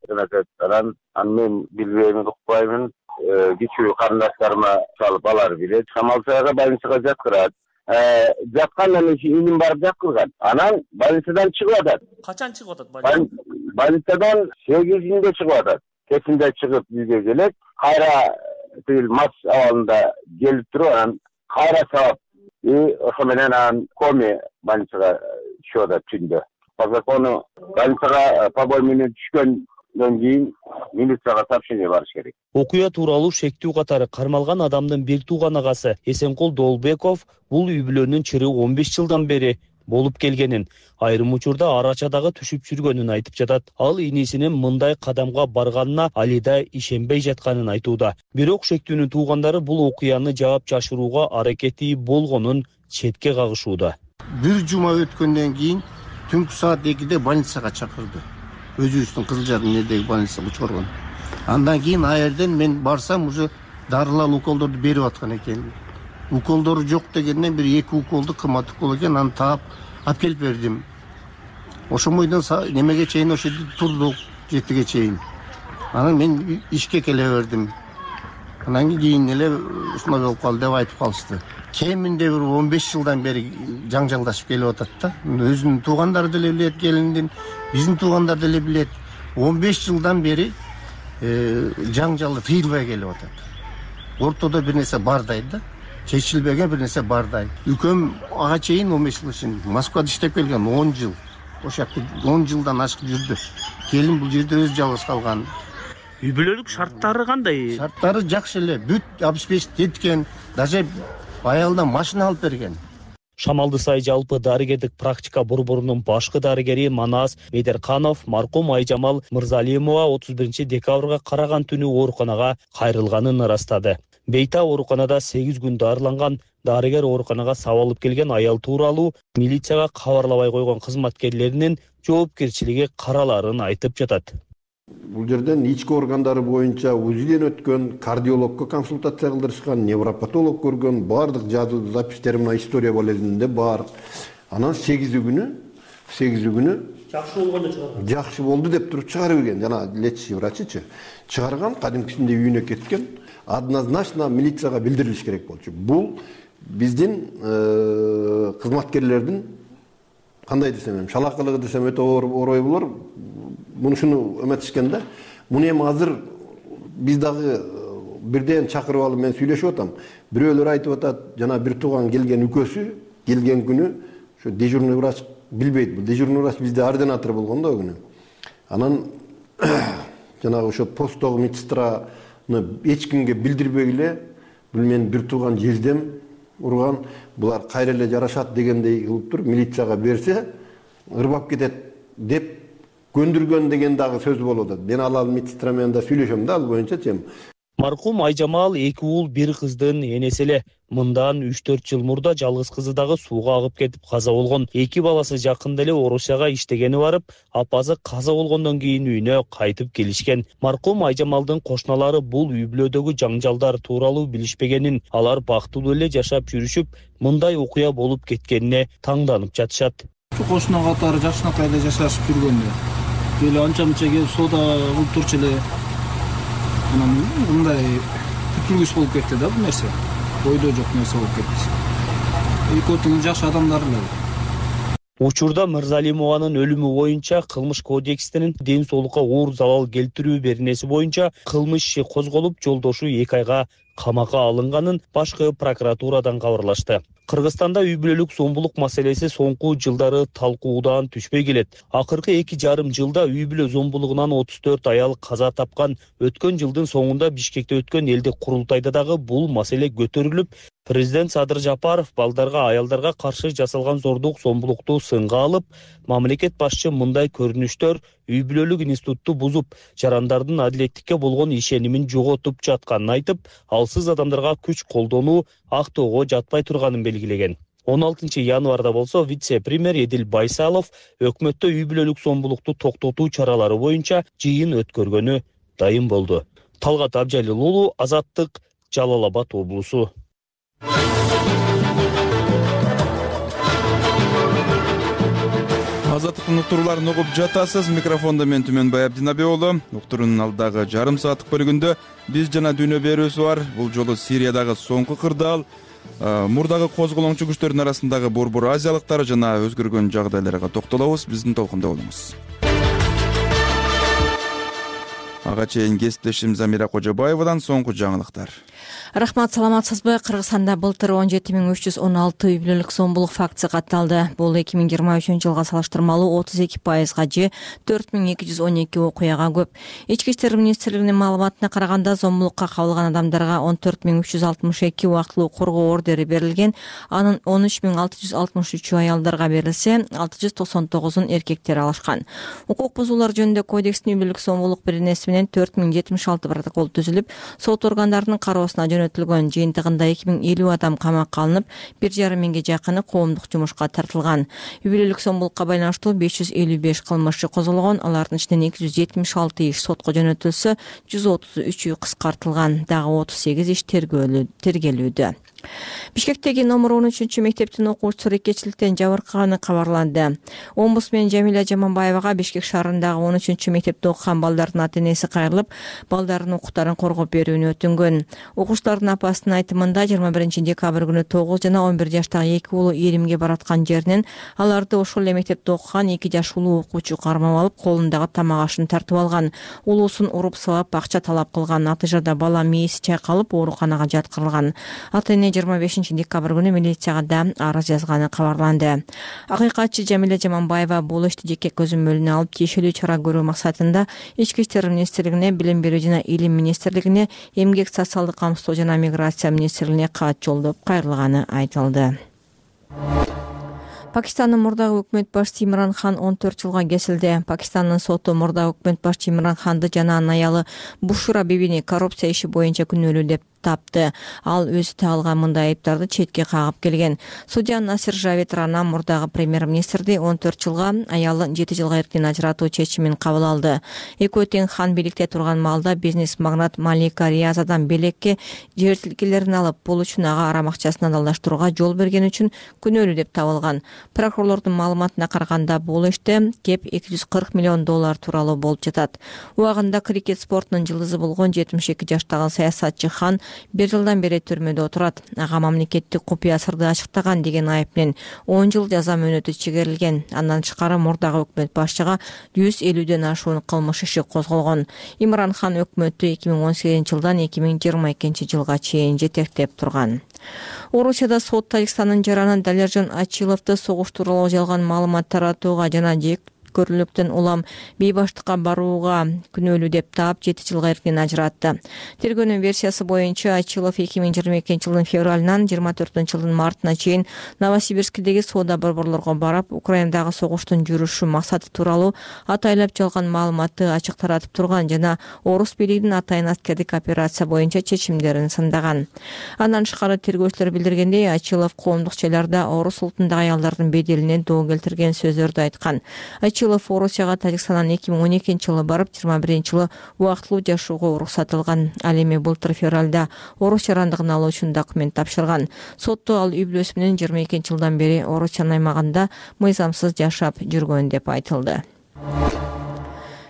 Speaker 3: анан мен билбеймин, укпаймын. Кичүү карындаштарыма чалып алар билет. Шамалсайга больницага жаткырат. Жаткандан иним барып жаткырган. Анан больницадан чыгып атат.
Speaker 23: Качан чыгып атат больницадан?
Speaker 3: Больницадан 8-inde чыгып атат. Кечинде чыгып бизге келет. Кайра тил мас абалында келип туруп, анан кайра сабап ошо менен анан коме больницага түшүп атат түндө. По закону больницага побой менен түшкөндөн кийин милицияга сообщение барыш керек.
Speaker 23: Окуя тууралуу шектүү катары кармалган адамдын бир тууган агасы Эсенкул Долбеков бул үй бүлөнүн чыры 15 жылдан бери болуп келгенин, айрым учурда арачадагы түшүп жүргөнүн айтып жатат. Ал инисинин мындай кадамга барганына али да ишенбей жатканын айтууда. Бирок шектүүнүн туугандары бул окуяны жаап жашырууга аракети болгонун четке кагышууда.
Speaker 4: Бир жума өткөндөн кийин түнкү саат 2-де больницага чакырды. Өзүбүздүн Кызылжардын больницага чыгарган. Андан кийин аерден мен барсам, уже дарылар, уколдорду берип аткан экен. Уколдору жок дегенден бир 2 уколду кымбат укол экен, аны таап алып келип бердим. Ошомойдон немеге чейин ошо турдук 7-ге чейин. Анан мен ишке келе бердим. Анан кийин эле ушундай болуп калды деп айтып калышты. Кеминде бир 15 жылдан бери жаңжалдашып келип атат да. Өзүнүн туугандары деле билет, келиндин, биздин туугандар деле билет. 15 жылдан бери жаңжалы тыйылбай келип атат. Ортодо бир нерсе бардай да. Чечилбеген бир нерсе бардай. Үкөм ага чейин 15 жыл ишин Москвада иштеп келген, 10 жыл. Ошо 10 жылдан ашык жүрдү. Келин бул жерде өз жалгыз калган.
Speaker 23: Үй бүлөлүк шарттары кандай?
Speaker 4: Шарттары жакшы эле. Бүт 65 теткен, даже аялдан машина алып берген.
Speaker 23: Шамалды сай жалпы дарыгердик практика борборунун башкы дарыгери Манас Медерканов маркум Айжамал Мырзалимова 31 декабрга караган түнү ооруканага кайрылганын ырастады. Бейта ооруканада 8 күн дарыланган. Дарыгер ооруканага сабалып келген аял тууралуу милицияга кабарлабай койгон кызматкерлеринин жоопкерчилиги караларын айтып жатат.
Speaker 5: Бул жерден ички органдары боюнча УЗИден өткөн, кардиологко консультация кылдырышкан, невропатолог көргөн, баардык жазуу запистер мына история болезинде бар. Анан 8 күнү
Speaker 23: жакшы болгондо чыгарган.
Speaker 5: Жакшы болду деп туруп чыгарып берген. Жана лечащий врачычы чыгарган, кадимкисинде үйүнө кеткен. Однозначно милицияга билдирилиш керек болчу. Бул биздин кызматкерлердин кандай десем, шалакылыгы десем өтө орой болор. Мунушуну эметишкен да. Муну эми азыр биз дагы бирден чакырып алып мен сүйлөшүп атам. Бирөөлөр айтып атат, жана бир тууган келген үкөсү келген күнү ошо дежурный врач билбейт. Бул дежурный врач бизде ординатор болгон да күнү. Анан жанагы ошо посттогу медсестраны эч кимге билдирбей эле бул менин бир тууган жездем урган, булар кайра эле жарашат дегендей кылып туруп милицияга берсе ырбап кетет деп көндүргөн деген дагы сөз болуп атат. Мен ал медсестра менен да сүйлөшөм да ал боюнча.
Speaker 23: Маркум Айжамал 2 уул 1 кыздын энеси эле. Мындан 3-4 жыл мурда жалгыз кызы дагы сууга агып кетип каза болгон. 2 баласы жакында эле Орусияга иштегени барып, апасы каза болгондон кийин үйүнө кайтып келишкен. Маркум Айжамалдын кошуналары бул үй бүлөдөгү жаңжалдар тууралуу билишпегенин, алар бактылуу эле жашап жүрүшүп, мындай окуя болуп кеткенине таңданып жатышат.
Speaker 7: Кошуна катары жакшынакай эле жашашып жүргөндө эле анча-мынча келип соода кылып турчу эле. Анан мындай күтүлгүс болуп кетти да бул нерсе. Ойдо жок нерсе болуп кетти. Экөөтүң жакшы адамдар эле.
Speaker 23: Учурда Мырзалимованын өлүмү боюнча кылмыш кодекстин ден соолукка оор залал келтирүү беренеси боюнча кылмыш иши козголуп, жолдошу 2 айга камакка алынганын башкы прокуратурадан кабарлашты. Кыргызстанда үй бүлөлүк зомбулук маселеси соңку жылдары талкуудан түшпөй келет. Акыркы 2,5 жылда үй бүлө зомбулугунан 34 аял каза тапкан. Өткөн жылдын соңунда Бишкекте өткөн элдик курултайда дагы бул маселе көтөрүлүп, президент Садыр Жапаров балдарга, аялдарга каршы жасалган зордук, зомбулукту сынга алып, мамлекет башчы мындай көрүнүштөр үй бүлөлүк институтту бузуп, жарандардын адилеттикке болгон ишенимин жоготуп жатканын айтып, алсыз адамдарга күч колдонуу актоого жатпай турганын белгилеген. 16 январда болсо вице-премьер Эдил Байсалов өкмөттө үй бүлөлүк зомбулукту токтотуу чаралары боюнча жыйын өткөргөнү дайым болду. Талгат Абжалил уулу, Азаттык, Жалал Абад облусу.
Speaker 2: Азаттыктын уктурууларын угуп жатасыз. Микрофондо мен Түмөнбай Абдинабек уулу. Уктуруунун алдагы жарым сааттык бөлүгүндө биз жана дүйнө берүүсү бар. Бул жолу Сириядагы соңку кырдаал, мурдагы козголоңчу күчтөрдүн арасындагы борбор азиялыктар жана өзгөргөн жагдайларга токтолобуз. Биздин толкунда болуңуз. Ага чейин кесиптешим Замира Кожобаевадан соңку жаңылыктар.
Speaker 18: Рахмат, саламатсызбы? Кыргызстанда былтыр 17,316 үй бүлөлүк зомбулук фактысы катталды. Бул 2023 жылга салыштырмалуу 32%га же 4212 окуяга көп. Ички иштер министрлигинин маалыматына караганда, зомбулукка кабылган адамдарга 14362 убактылуу коргоо ордери берилген. Анын 13663 аялдарга берилсе, 699 эркектер алышкан. Укук бузуулар жөнүндө кодекстин үй бүлөлүк зомбулук беренеси менен 4076 протокол түзүлүп, сот органдарынын кароосуна жөнөтүлгөн. Жыйынтыгында 2050 адам камакка алынып, 1,5 миңге жакыны коомдук жумушка тартылган. Үй бүлөлүк зомбулукка байланыштуу 555 кылмыш козголгон. Алардын ичинен 276 иш сотко жөнөтүлсө, 133 кыскартылган. Дагы 38 иш тергелүүдө. Бишкектеги номер 13 мектептин окуучусу рекечиликтен жабыркаганы кабарланды. Омбудсмен Жамиля Жаманбаевага Бишкек шаарындагы 13 мектепте окуган балдардын ата-энеси кайрылып, балдарынын укуктарын коргоп берүүнү өтүнгөн. Окуучулардын апасынын айтымында 21 декабрь күнү 9 жана 11 жаштагы 2 уулу Иримге бараткан жеринен аларды ошол эле мектепте окуган 2 жаш улуу окуучу кармап алып, колундагы тамак ашын тартып алган. Улуусун уруп сабап акча талап кылган. Натыйжада бала мээси чайкалып, ооруканага жаткырылган. Ата-эне 25 декабрь күнү милицияга да арыз жазганы кабарланды. Акыйкатчы Жамиля Жаманбаева бул ишти жеке көзөмөлүнө алып, тиешелүү чара көрүү максатында Ички иштер министрлигине, Билим берүү жана Илим министрлигине, Эмгек социалдык камсыздоо жана миграция министрлигине кат жолдоп кайрылганы айтылды. Пакистандын мурдагы өкмөт башчысы Имран Хан 14 жылга кесилди. Пакистандын соту мурдагы өкмөт башчысы Имран Ханды жана анын аялы Бушра бибини коррупция иши боюнча күнөөлүү деп тапты. Ал өзү тагылган мындай айыптарды четке кагып келген. Судья Насир Жавед Рана мурдагы премьер-министрди 14 жылга, аялын 7 жылга эркин ажыратуу чечимин кабыл алды. Экөө тең Хан бийликте турган маалда бизнес-магнат Малика Риязадан белекке жер тилкелерин алып, бул үчүн ага арам акчасын адалдаштырууга жол берген үчүн күнөөлүү деп табылган. Прокурорлордун маалыматына караганда, бул иште кеп $240 миллион тууралуу болуп жатат. Убагында крикет спортунун жылдызы болгон 72 жаштагы саясатчы Хан 1 жылдан бери түрмөдө отурат. Ага мамлекеттик купуя сырды ачыктаган деген айып менен 10 жыл жаза мөөнөтү чегерилген. Андан тышкары мурдагы өкмөт башчыга 150ден ашуун кылмыш иши козголгон. Имран Хан өкмөттү 2018 жылдан 2022 жылга чейин жетектеп турган. Орусияда сот Тажикстандын жараны Далержан Ачиловду согуш тууралуу жалган маалымат таратууга жана көрүлүктөн улам бейбаштыкка барууга күнөөлүү деп таап 7 жылга эркин ажыратты. Тергөөнүн версиясы боюнча Ачилов 2022 жылдын февралынан 24 жылдын мартына чейин Новосибирскидеги соода борборлорго барып, Украинадагы согуштун жүрүшү максаты тууралуу атайлап жалган маалыматты ачык таратып турган жана орус бийлигинин атайын аскердик операция боюнча чечимдерин сындаган. Андан тышкары тергөөчүлөр билдиргендей, Ачилов коомдук жайларда орус улутундагы аялдардын беделине доо келтирген сөздөрдү айткан. Ачилов Орусияга Тажикстандан 2012 жылы барып, 21 жылы убактылуу жашоого уруксат алган. Ал эми былтыр февралда орус жарандыгын алуу үчүн документ тапшырган. Сотто ал үй бүлөсү менен 22 жылдан бери Орусиянын аймагында мыйзамсыз жашап жүргөн деп айтылды.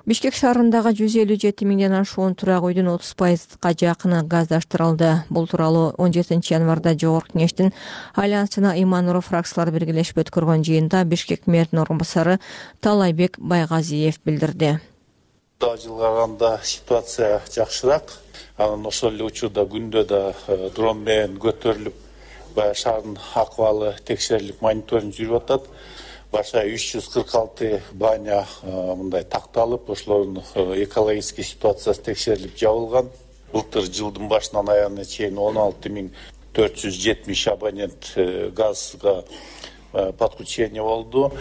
Speaker 18: Бишкек шаарындагы 157 миңден ашуун турак үйдүн 30%га жакыны газдаштырылды. Бул тууралуу 17 январда Жогорку Кеңештин Альянс жана Имануров фракциялары биргелешип өткөргөн жыйында Бишкек мэринин орун басары Талайбек Байгазиев билдирди.
Speaker 6: мурдагы жылга караганда ситуация жакшыраак. Анан ошол эле учурда күндө да дрон менен көтөрүлүп, баягы шаардын акыбалы текшерилип, мониторинг жүрүп атат. Баша 346 баня мындай такталып, ошолордун экологический ситуациясы текшерилип жабылган. Былтыр жылдын башынан аягына чейин 16470 абонент газга подключение болду.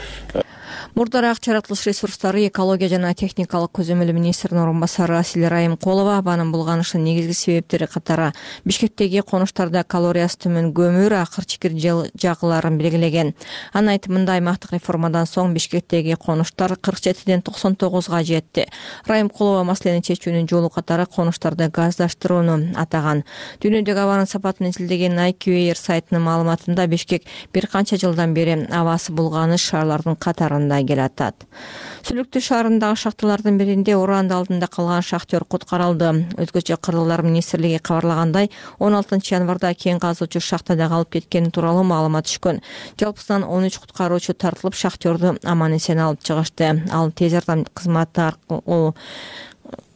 Speaker 8: Мурдараак жаратылыш ресурстары, экология жана техникалык көзөмөлү министринин орун басары Асель Райымкулова абанын булганышынын негизги себептери катары Бишкектеги конуштарда калориясы төмөн көмүр, акыр чикир жагыларын белгилеген. Анын айтымында аймактык реформадан соң Бишкектеги конуштар 47ден 99га жетти. Райымкулова маселени чечүүнүн жолу катары конуштарды газдаштырууну атаган. Дүйнөдөгү абанын сапатын изилдеген IQAir сайтынын маалыматында Бишкек бир канча жылдан бери абасы булганыш шаарлардын катарында келатат. Сүлүктүү шаарындагы шахталардын биринде уранды алдында калган шахтер куткарылды. Өзгөчө Кыргыздар министрлиги кабарлагандай, 16 январда кен казуучу шахтада калып кеткени тууралуу маалымат түшкөн. Жалпысынан 13 куткаруучу тартылып, шахтерду аман-эсен алып чыгышты. Ал тез жардам кызматы аркылуу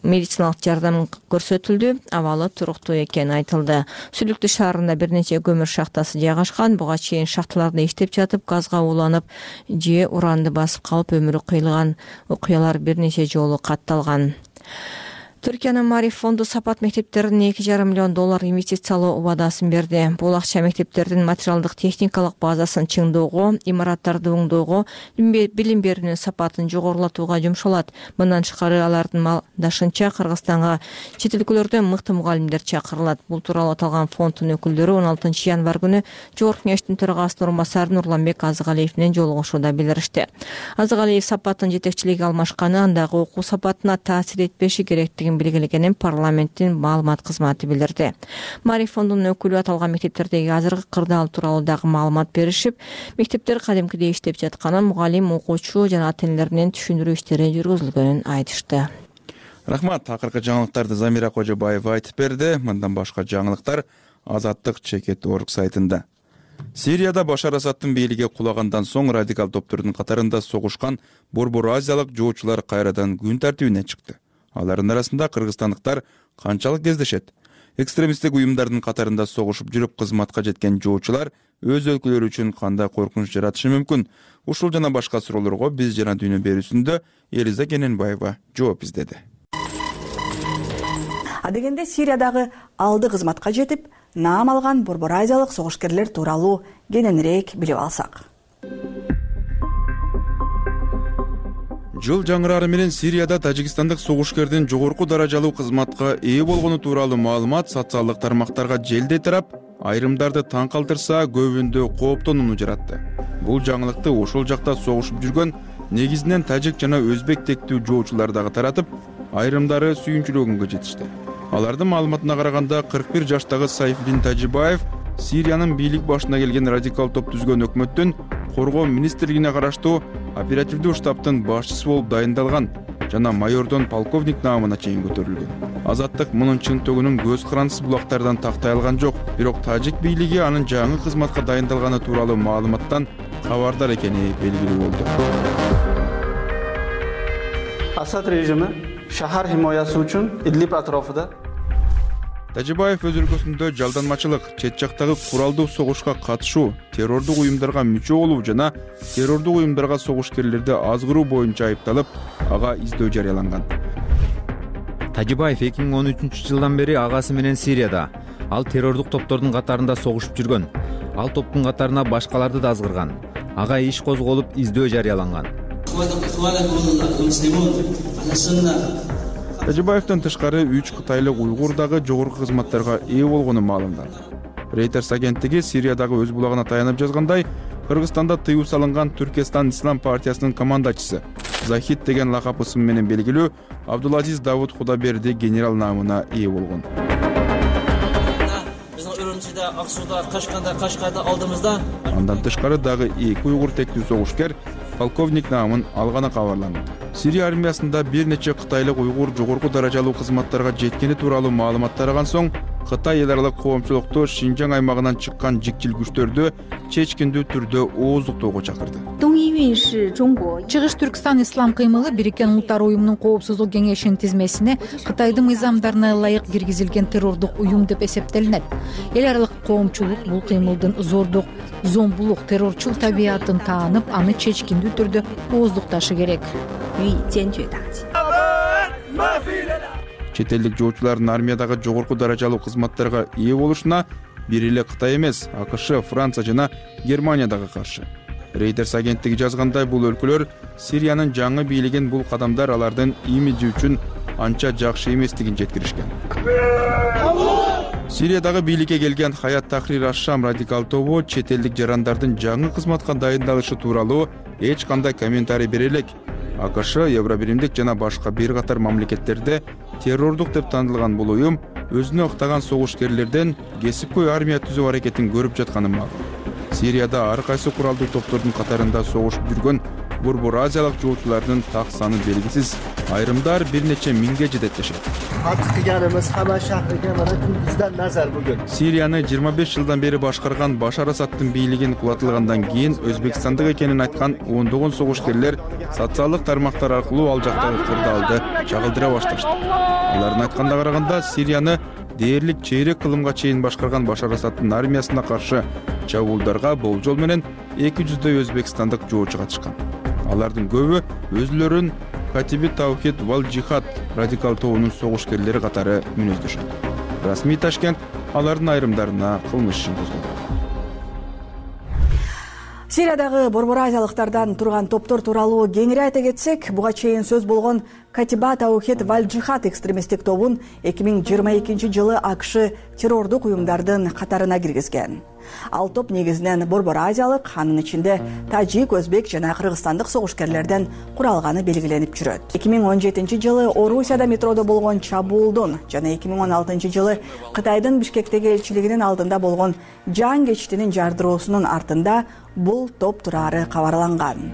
Speaker 8: медициналык жардам көрсөтүлдү. Абалы туруктуу экени айтылды. Сүлүктүү шаарында бир нече көмүр шахтасы жайгашкан. Буга чейин шахталарда иштеп жатып, газга уланып же уранды басып калып өмүрү кыйылган окуялар бир нече жолу катталган. Түркиянын Мариф фонду сапат мектептердин $2,5 миллион инвестициялоо убадасын берди. Бул акча мектептердин материалдык техникалык базасын чыңдоого, имараттарды оңдоого, билим берүүнүн сапатын жогорулатууга жумшалат. Мындан тышкары алардын малдашынча Кыргызстанга чет өлкөлөрдөн мыкты мугалимдер чакырылат. Бул тууралуу аталган фонддун өкүлдөрү 16 январ күнү Жогорку Кеңештин төрагасынын орун басары Нурланбек Азыгалиев менен жолугушууда билдиришти. Азыгалиев сапаттын жетекчилиги алмашканы, андагы окуу сапатына таасир этпеши керектигин белгилегенин парламенттин маалымат кызматы билдирди. Мариф фондунун өкүлү аталган мектептердеги азыркы кырдаал тууралуу дагы маалымат беришип, мектептер кадимкидей иштеп жатканын, мугалим, окуучу жана ата-энелер менен түшүндүрүү иштери жүргүзүлгөнүн айтышты.
Speaker 2: Рахмат. Акыркы жаңылыктарды Замира Кожобаева айтып берди. Мындан башка жаңылыктар Азаттык Чекит.org сайтында. Сирияда Башар Асадтын бийлиги кулагандан соң радикал топтордун катарында согушкан борбор азиялык жоочулар кайрадан күн тартибине чыкты. Алардын арасында кыргызстандыктар канчалык кездешет? Экстремисттик уюмдардын катарында согушуп жүрүп кызматка жеткен жоочулар өз өлкөлөрү үчүн кандай коркунуч жаратышы мүмкүн? Ушул жана башка суроолорго биз жана дүйнө берүүсүндө Элиза Кененбаева жооп издеди.
Speaker 9: Адегенде Сириядагы алды кызматка жетип, наам алган борбор азиялык согушкерлер тууралуу кененирээк билип алсак.
Speaker 2: Жыл жаңырары менен Сирияда тажикстандык согушкердин жогорку даражалуу кызматка ээ болгону тууралуу маалымат социалдык тармактарга желдей тарап, айрымдарды таң калтырса, көбүндө кооптонууну жаратты. Бул жаңылыкты ошол жакта согушуп жүргөн негизинен тажик жана өзбек тектүү жоочулар дагы таратып, айрымдары сүйүнчүлөгөнгө жетишти. Алардын маалыматына караганда 41 жаштагы Сайфиддин Тажибаев Сириянын бийлик башына келген радикал топ түзгөн өкмөттүн коргоо министрлигине караштуу оперативдүү штабтын башчысы болуп дайындалган жана майордон полковник наамына чейин көтөрүлгөн. Азаттык мунун чынтөгүнүн көз карандысыз булактардан тактай алган жок, бирок тажик бийлиги анын жаңы кызматка дайындалганы тууралуу маалыматтан кабардар экени белгилүү болду.
Speaker 10: Асад режими шаар химоясы үчүн Идлиб атрофунда
Speaker 2: Тажибаев өз өлкөсүндө жалданмачылык, чет жактагы куралдуу согушка катышуу, террордук уюмдарга мүчө болуу жана террордук уюмдарга согушкерлерди азгыруу боюнча айыпталып, ага издөө жарыяланган.
Speaker 21: Тажибаев 2013 жылдан бери агасы менен Сирияда. Ал террордук топтордун катарында согушуп жүргөн. Ал топтун катарына башкаларды да азгырган. Ага иш козголуп, издөө жарыяланган.
Speaker 2: Тажибаевден тышкары 3 кытайлык уйгур дагы жогорку кызматтарга ээ болгону маалымданды. Reuters агенттиги Сириядагы өз булагына таянып жазгандай, Кыргызстанда тыюу салынган Түркестан Ислам партиясынын командачысы Захид деген лакап ысым менен белгилүү Абдулазиз Давуд Худаберди генерал наамына ээ болгон.
Speaker 25: Аксуда, Кашкарда алдымызда.
Speaker 2: Андан тышкары дагы 2 уйгур тектүү согушкер полковник наамын алганы кабарланды. Сирия армиясында бир нече кытайлык уйгур жогорку даражалуу кызматтарга жеткени тууралуу маалымат тараган соң, Кытай эл аралык коомчулукту Шинжаң аймагынан чыккан жикчил күчтөрдү чечкиндүү түрдө ооздуктоого чакырды.
Speaker 1: Чыгыш Түркстан ислам кыймылы Бириккен Улуттар уюмунун коопсуздук кеңешинин тизмесине Кытайдын мыйзамдарына ылайык киргизилген террордук уюм деп эсептелинет. Эл аралык коомчулук бул кыймылдын зордук, зомбулук, террорчул табиятын таанып, аны чечкиндүү түрдө ооздукташы керек.
Speaker 2: Чет элдик жоочулардын армиядагы жогорку даражалуу кызматтарга ээ болушуна бир эле Кытай эмес, АКШ, Франция жана Германия дагы каршы. Reuters агенттиги жазгандай, бул өлкөлөр Сириянын жаңы бийлигин бул кадамдар алардын имиджи үчүн анча жакшы эместигин жеткиришкен. Сириядагы бийликке келген Хаят Тахрир аш-Шам радикал тобу чет элдик жарандардын жаңы кызматка дайындалышы тууралуу эч кандай комментарий бере элек. АКШ, Евробиримдик жана башка бир катар мамлекеттерде террордук деп танылган бул уюм өзүнө ыктаган согушкерлерден кесипкөй армия түзүү аракетин көрүп жатканы макул. Сирияда ар кайсы куралдуу топтордун катарында согушуп жүргөн Борбор Азиялык жоочулардын так саны белгисиз. Айрымдар бир нече миңге жетет дешет. Сирияны 25 жылдан бери башкарган Башар Асадтын бийлигин кулатылгандан кийин Өзбекстандык экенин айткан ондогон согушкерлер социалдык тармактар аркылуу ал жактагы кырдаалды чагылдыра башташты. Алардын айтканына караганда, Сирияны дээрлик чейрек кылымга чейин башкарган Башар Асадтын армиясына каршы чабуулдарга болжол менен 200дөй өзбекстандык жоочу катышкан. Алардын көбү өзүлөрүн Катиби Таухид вал Джихад радикал тобунун согушкерлери катары мүнөздөшөт. Расмий Ташкент алардын айрымдарына кылмыш ишин козгоду.
Speaker 9: Сириядагы Борбор Азиялыктардан турган топтор тууралуу кеңири айта кетсек, буга чейин сөз болгон Катиба Таухид вал Джихад экстремисттик тобун 2022 жылы АКШ террордук уюмдардын катарына киргизген. Ал топ негизинен Борбор Азиялык, анын ичинде тажик, өзбек жана кыргызстандык согушкерлерден куралганы белгиленип жүрөт. 2017 жылы Орусияда метродо болгон чабуулдун жана 2016 жылы Кытайдын Бишкектеги элчилигинин алдында болгон жан кечтинин жардыроосунун артында бул топ турары кабарланган.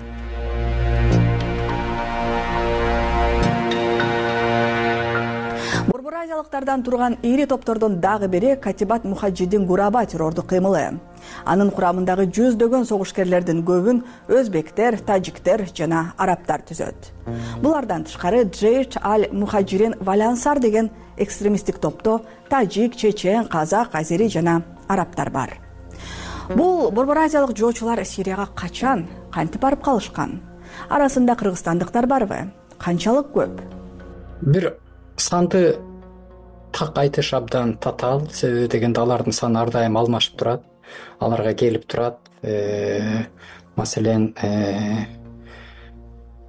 Speaker 9: Борбор Азиялыктардан турган ири топтордун дагы бири Катибат Мухаджидин Гураба террордук кыймылы. Анын курамындагы жүздөгөн согушкерлердин көбүн өзбектер, тажиктер жана арабтар түзөт. Булардан тышкары Джейш аль-Мухаджирин Валансар деген экстремисттик топто тажик, чечен, казак, азери жана арабтар бар. Бул Борбор Азиялык жоочулар Сирияга качан, кантип барып калышкан? Арасында кыргызстандыктар барбы? Канчалык көп?
Speaker 11: Бир санды так айтыш абдан татаал, себеби дегенде алардын саны ар дайым алмашып турат, аларга келип турат. Маселен,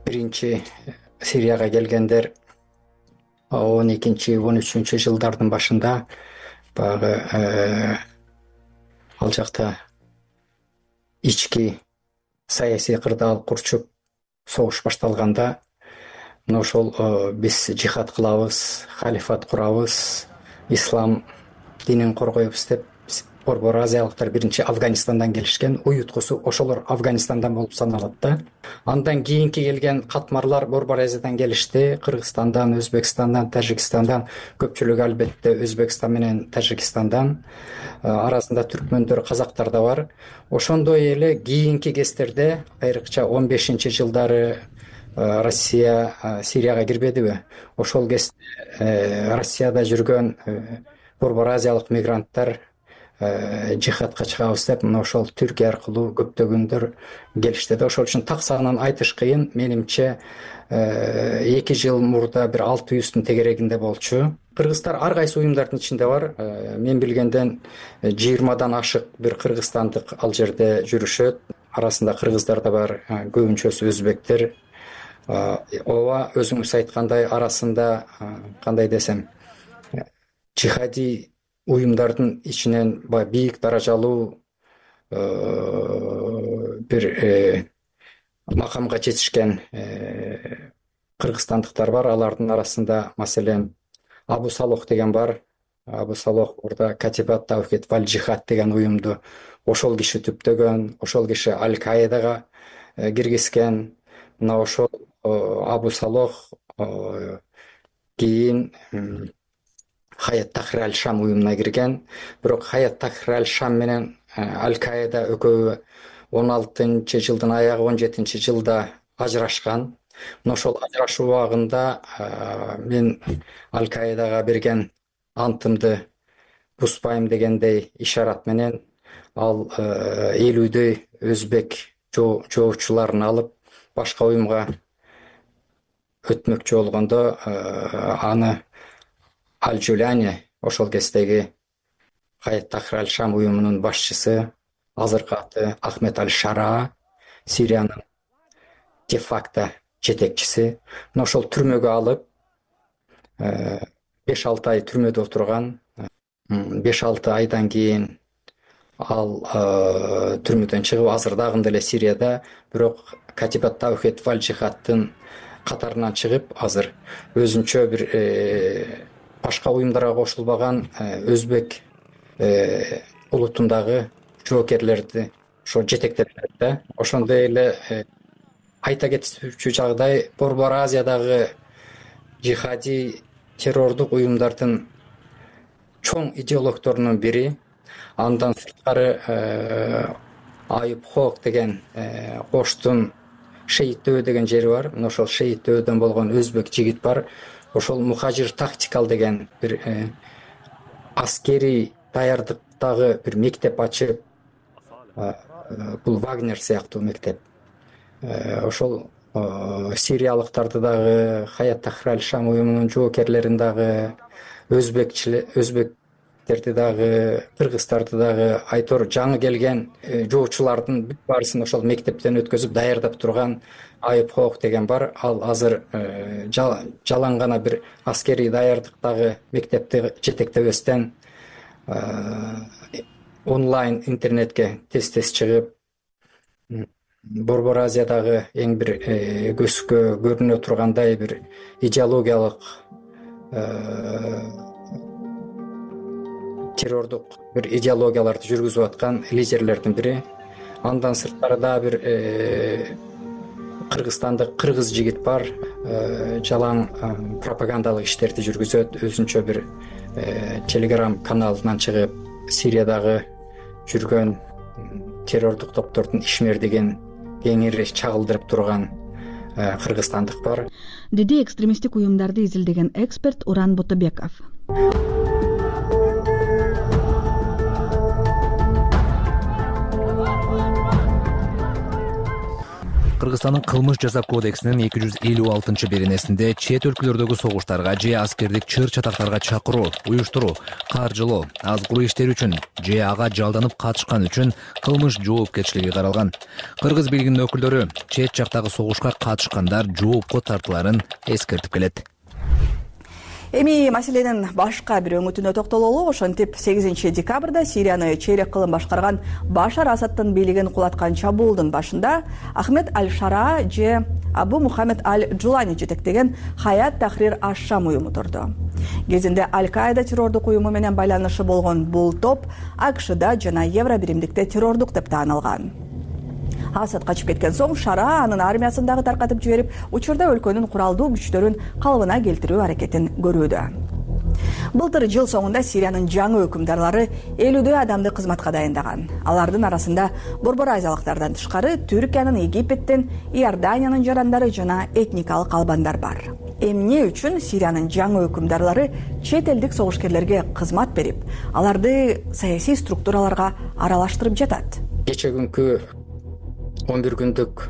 Speaker 11: биринчи Сирияга келгендер 12-13 жылдардын башында баягы ал жакта ички саясий кырдаал курчуп согуш башталганда, ошол биз жихад кылабыз, халифат курабыз, ислам динин коргойбуз деп Борбор Азиялыктар биринчи Афганистандан келишкен. Уюткусу ошолор Афганистандан болуп саналат да. Андан кийинки келген катмарлар Борбор Азиядан келишти. Кыргызстандан, Өзбекстандан, Тажикстандан, көпчүлүгү албетте Өзбекстан менен Тажикстандан, арасында түркмөндөр, казактар да бар. Ошондой эле кийинки кездерде, айрыкча 15 жылдары Россия Сирияга кирбедиби? Ошол кезде Россияда жүргөн Борбор Азиялык мигранттар жихадка чыгабыз деп, ошол Түркия аркылуу көптөгөндөр келишти да. Ошол үчүн так санын айтыш кыйын. Менимче 2 жыл мурда бир 600-тун тегерегинде болчу. Кыргыздар ар кайсы уюмдардын ичинде бар. Мен билгенден 20дан ашык бир кыргызстандык ал жерде жүрүшөт. Арасында кыргыздар да бар, көбүнчөсү өзбектер. Ооба, өзүңүз айткандай, арасында кандай десем, жихади уюмдардын ичинен бийик даражалуу бир макамга жетишкен кыргызстандыктар бар. Алардын арасында маселен Абу Салох деген бар. Абу Салох орда Катибат Таухид вал Джихад деген уюмду ошол киши түптөгөн, ошол киши Аль-Каидага киргизген. Мына ошол Абу Салох кийин Хаят Тахрир аль-Шам уюмуна кирген. Бирок Хаят Тахрир аль-Шам менен Аль-Каида экөө 16-жылдын аягы 17-жылда ажырашкан. Ошол ажырашуу убагында мен Аль-Каидага берген антымды бузбайм дегендей ишарат менен ал 50дөй өзбек жоочуларын алып башка уюмга өтмөкчү болгондо аны Аль-Жуляни, ошол кездеги Хаят Тахрир аль-Шам уюмунун башчысы, азыркы аты Ахмед аль-Шара, Сириянын де-факто жетекчиси, ошол түрмөгө алып 5-6 ай түрмөдө отурган. 5-6 айдан кийин ал түрмөдөн чыгып азыр дагы деле Сирияда, бирок Катибат Таухид валь Жихадтын катарынан чыгып азыр өзүнчө бир башка уюмдарга кошулбаган өзбек улутундагы жоокерлерди ошо жетектеп берет да. Ошондой эле айта кетүүчү жагдай, Борбор Азиядагы жихади террордук уюмдардын чоң идеологторунун бири. Андан сырткары Айып Хок деген Коштун Шейитөө деген жери бар. Ошол Шейитөөдөн болгон өзбек жигит бар. Ошол Мухажир тактикал деген бир аскери даярдыктагы бир мектеп ачып, бул Вагнер сыяктуу мектеп. Ошол сириялыктарды дагы, Хаят Тахрир аль-Шам уюмунун жоокерлерин дагы, өзбектерди дагы, кыргыздарды дагы, айтор жаңы келген жоочулардын бүт баарысын ошол мектептен өткөзүп даярдап турган Айып Хок деген бар. Ал азыр жалаң гана бир аскерий даярдыктагы мектепти жетектебестен онлайн интернетке тез чыгып, Борбор Азиядагы эң бир көзгө көрүнө тургандай бир идеологиялык террордук бир идеологияларды жүргүзүп аткан лидерлердин бири. Андан сырткары да бир Кыргызстандык кыргыз жигит бар, жалаң пропагандалык иштерди жүргүзөт, өзүнчө бир телеграм каналынан чыгып, Сириядагы жүргөн террордук топтордун ишмердигин кеңири чагылдырып турган кыргызстандык бар,
Speaker 9: деди экстремисттик уюмдарды изилдеген эксперт Уран Ботобеков.
Speaker 22: Кыргызстандын кылмыш жаза кодексинин 256-беренесинде чет өлкөлөрдөгү согуштарга же аскердик чыр-чатактарга чакыруу, уюштуруу, каржылоо, азгыруу иштери үчүн же ага жалданып катышкан үчүн кылмыш жоопкерчилиги каралган. Кыргыз бийлигинин өкүлдөрү чет жактагы согушка катышкандар жоопко тартыларын эскертип келет.
Speaker 9: Эми маселенин башка бир өңүтүнө токтололу. Ошентип 8 декабрда Сирияны чейрек кылым башкарган Башар Асадтын бийлигин кулаткан чабуулдун башында Ахмед аль-Шара же Абу Мухаммед аль-Джулани жетектеген Хаят Тахрир аль-Шам уюму турду. Кезинде Аль-Каида террордук уюму менен байланышы болгон бул топ АКШда жана Евро биримдикте террордук деп таанылган. Асад качып кеткен соң Шара анын армиясын дагы таркатып жиберип, учурда өлкөнүн куралдуу күчтөрүн калыбына келтирүү аракетин көрүүдө. Былтыр жыл соңунда Сириянын жаңы өкүмдарлары 50дөй адамды кызматка дайындаган. Алардын арасында Борбор Азиялыктардан тышкары Түркиянын, Египеттин, Иорданиянын жарандары жана этникалык албандар бар. Эмне үчүн Сириянын жаңы өкүмдарлары чет элдик согушкерлерге кызмат берип, аларды саясий структураларга аралаштырып жатат?
Speaker 11: Кече күнкү 11 күндүк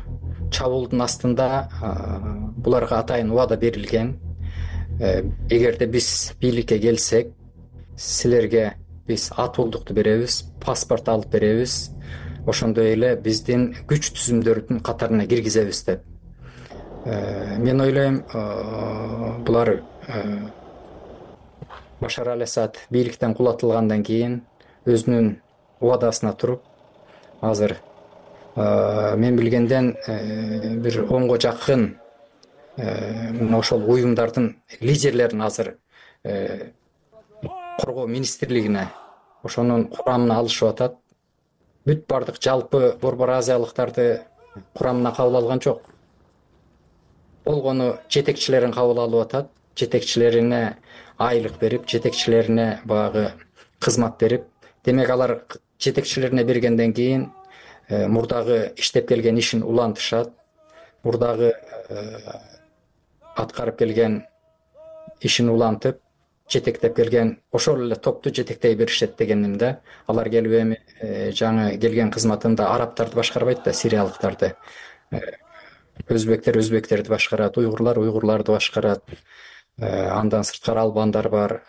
Speaker 11: чабуулдун астында буларга атайын убада берилген. Эгерде биз бийликке келсек, силерге биз атуулдукту беребиз, паспорт алып беребиз, ошондой эле биздин күч түзүмдөрдүн катарына киргизебиз деп. Мен ойлойм, булар Башар аль-Асад бийликтен кулатылгандан кийин өзүнүн убадасына туруп, азыр мен билгенден бир 10го жакын ошол уюмдардын лидерлерин азыр коргоо министрлигине ошонун курамына алышып атат. Бүт бардык жалпы Борбор Азиялыктарды курамына кабыл алган жок. Болгону жетекчилерин кабыл алып атат. жетекчилерине айлык берип, жетекчилерине баягы кызмат берип, демек алар жетекчилерине бергенден кийин мурдагы иштеп келген ишин улантышат, мурдагы аткарып келген ишин улантып, жетектеп келген ошол эле топту жетектей беришет дегеним да. Алар келип эми жаңы келген кызматында арабтарды башкарбайт да, сириялыктарды. Өзбектерди башкарат, уйгурларды башкарат. Андан сырткары албандар бар.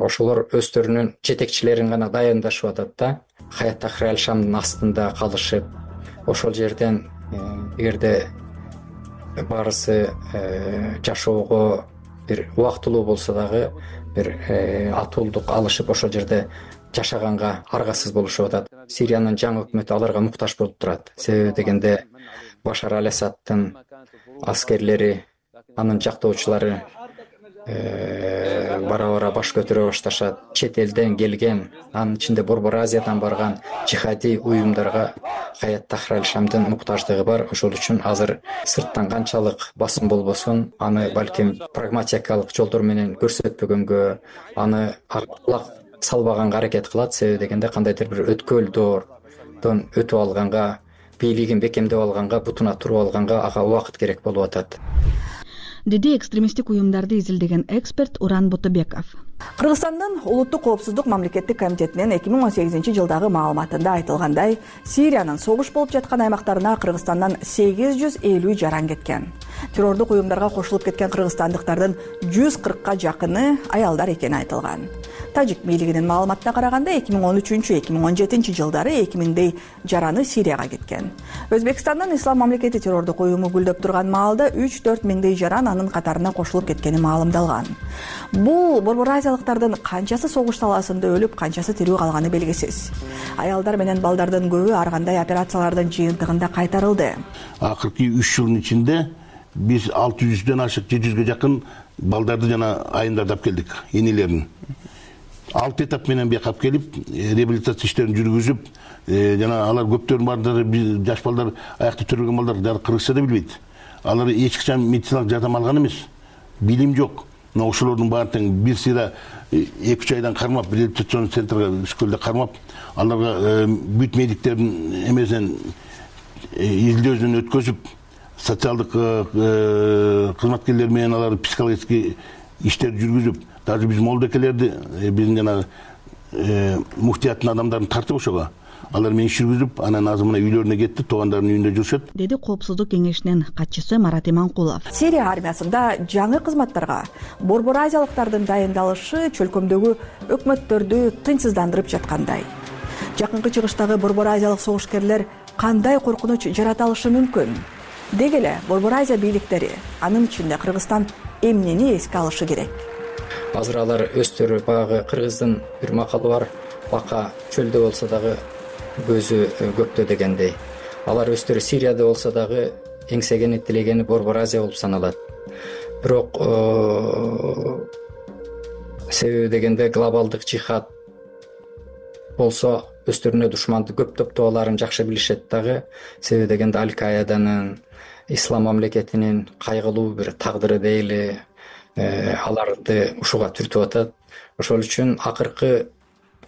Speaker 11: Ошолор өздөрүнүн жетекчилерин гана дайындашып атат да. Хаят Тахрир Аль-Шамдын астында калышып, ошол жерден эгерде баарысы жашоого бир убактылуу болсо дагы бир атуулдук алышып ошол жерде жашаганга аргасыз болушуп атат. Сириянын жаңы өкмөтү аларга муктаж болуп турат. Себеби дегенде Башар Аль-Асадтын аскерлери, анын жактоочулары бара-бара баш көтөрө башташат. Чет элден келген, анын ичинде Борбор Азиядан барган жихади уюмдарга Хаят Тахрир Аль-Шамдын муктаждыгы бар. Ошол үчүн азыр сырттан канчалык басым болбосун, аны балким прагматикалык жолдор менен көрсөтпөгөнгө, аны кулак салбаганга аракет кылат. Себеби дегенде кандайдыр бир өткөл доордон өтүп алганга, бийлигин бекемдеп алганга, бутуна туруп алганга ага убакыт керек болуп атат,
Speaker 9: деди экстремисттик уюмдарды изилдеген эксперт Уран Ботобеков. Кыргызстандын улуттук коопсуздук мамлекеттик комитетинин 2018-жылдагы маалыматында айтылгандай, Сириянын согуш болуп жаткан аймактарына Кыргызстандан 850 жаран кеткен. Террордук уюмдарга кошулуп кеткен кыргызстандыктардын 140ка жакыны аялдар экени айтылган. Тажик бийлигинин маалыматына караганда 2013-2017 жылдары 2000дей жараны Сирияга кеткен. Өзбекстандын Ислам мамлекети террордук уюму гүлдөп турган маалда 3-4 миңдей жаран анын катарына кошулуп кеткени маалымдалган. Бул Борбор Азиялыктардын канчасы согуш талаасында өлүп, канчасы тирүү калганы белгисиз. Аялдар менен балдардын көбү ар кандай операциялардын жыйынтыгында кайтарылды.
Speaker 13: Акыркы 3 жылдын ичинде биз 600дөн ашык 700ге жакын балдарды жана айымдарды келдик, энелерин. 6 этап менен бияка келип, реабилитация иштерин жүргүзүп, жана алар көптөрүнүн баардыгы жаш балдар, аякты төрөлгөн балдар кыргызча да билбейт. Алар эч качан медициналык жардам алган эмес. Билим жок. Мына ошолордун баардыгын бир сыйра 2-3 айдан кармап, реабилитацион центрге школда кармап, аларга бүт медиктердин эмесинен изилдөөдөн өткөзүп, социалдык кызматкерлер менен алар психологический иштерди жүргүзүп, даже биз молдокелерди, биздин жана муфтияттын адамдарын тартып ошого. Алар менен иш жүргүзүп, анан азыр мына үйлөрүнө кетти, туугандарынын үйүндө жүрүшөт, деди Коопсуздук кеңешинин катчысы Марат Иманкулов. Сирия армиясында жаңы кызматтарга Борбор Азиялыктардын дайындалышы чөлкөмдөгү өкмөттөрдү тынчсыздандырып жаткандай. Жакынкы чыгыштагы Борбор Азиялык согушкерлер кандай коркунуч жарата алышы мүмкүн? Деги эле Борбор Азия бийликтери, анын ичинде Кыргызстан эмнени эске алышы керек?
Speaker 11: Азыр алар өздөрү баягы кыргыздын бир макалы бар, бака чөлдө болсо дагы көзү көктө дегендей. Алар өздөрү Сирияда болсо дагы эңсегени тилегени Борбор Азия болуп саналат. Бирок себеби дегенде глобалдык жихад болсо өздөрүнө душманды көп топтооларын жакшы билишет дагы. Себеби дегенде Аль-Каиданын, Ислам мамлекетинин кайгылуу бир тагдыры дейли аларды ушуга түртүп атат. Ошол үчүн акыркы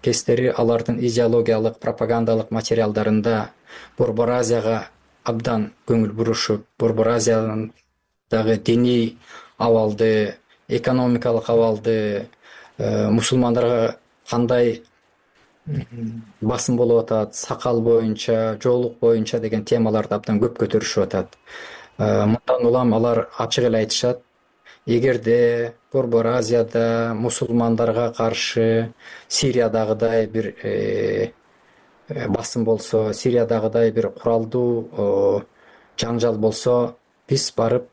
Speaker 11: кездери алардын идеологиялык, пропагандалык материалдарында Борбор Азияга абдан көңүл бурушуп, Борбор Азиядагы диний абалды, экономикалык абалды, мусулмандарга кандай басым болуп атат, сакал боюнча, жоолук боюнча деген темаларды абдан көп көтөрүшүп атат. Мындан улам алар ачык эле айтышат, эгерде Борбор Азияда мусулмандарга каршы Сириядагыдай бир басым болсо, Сириядагыдай бир куралдуу жаңжал болсо, биз барып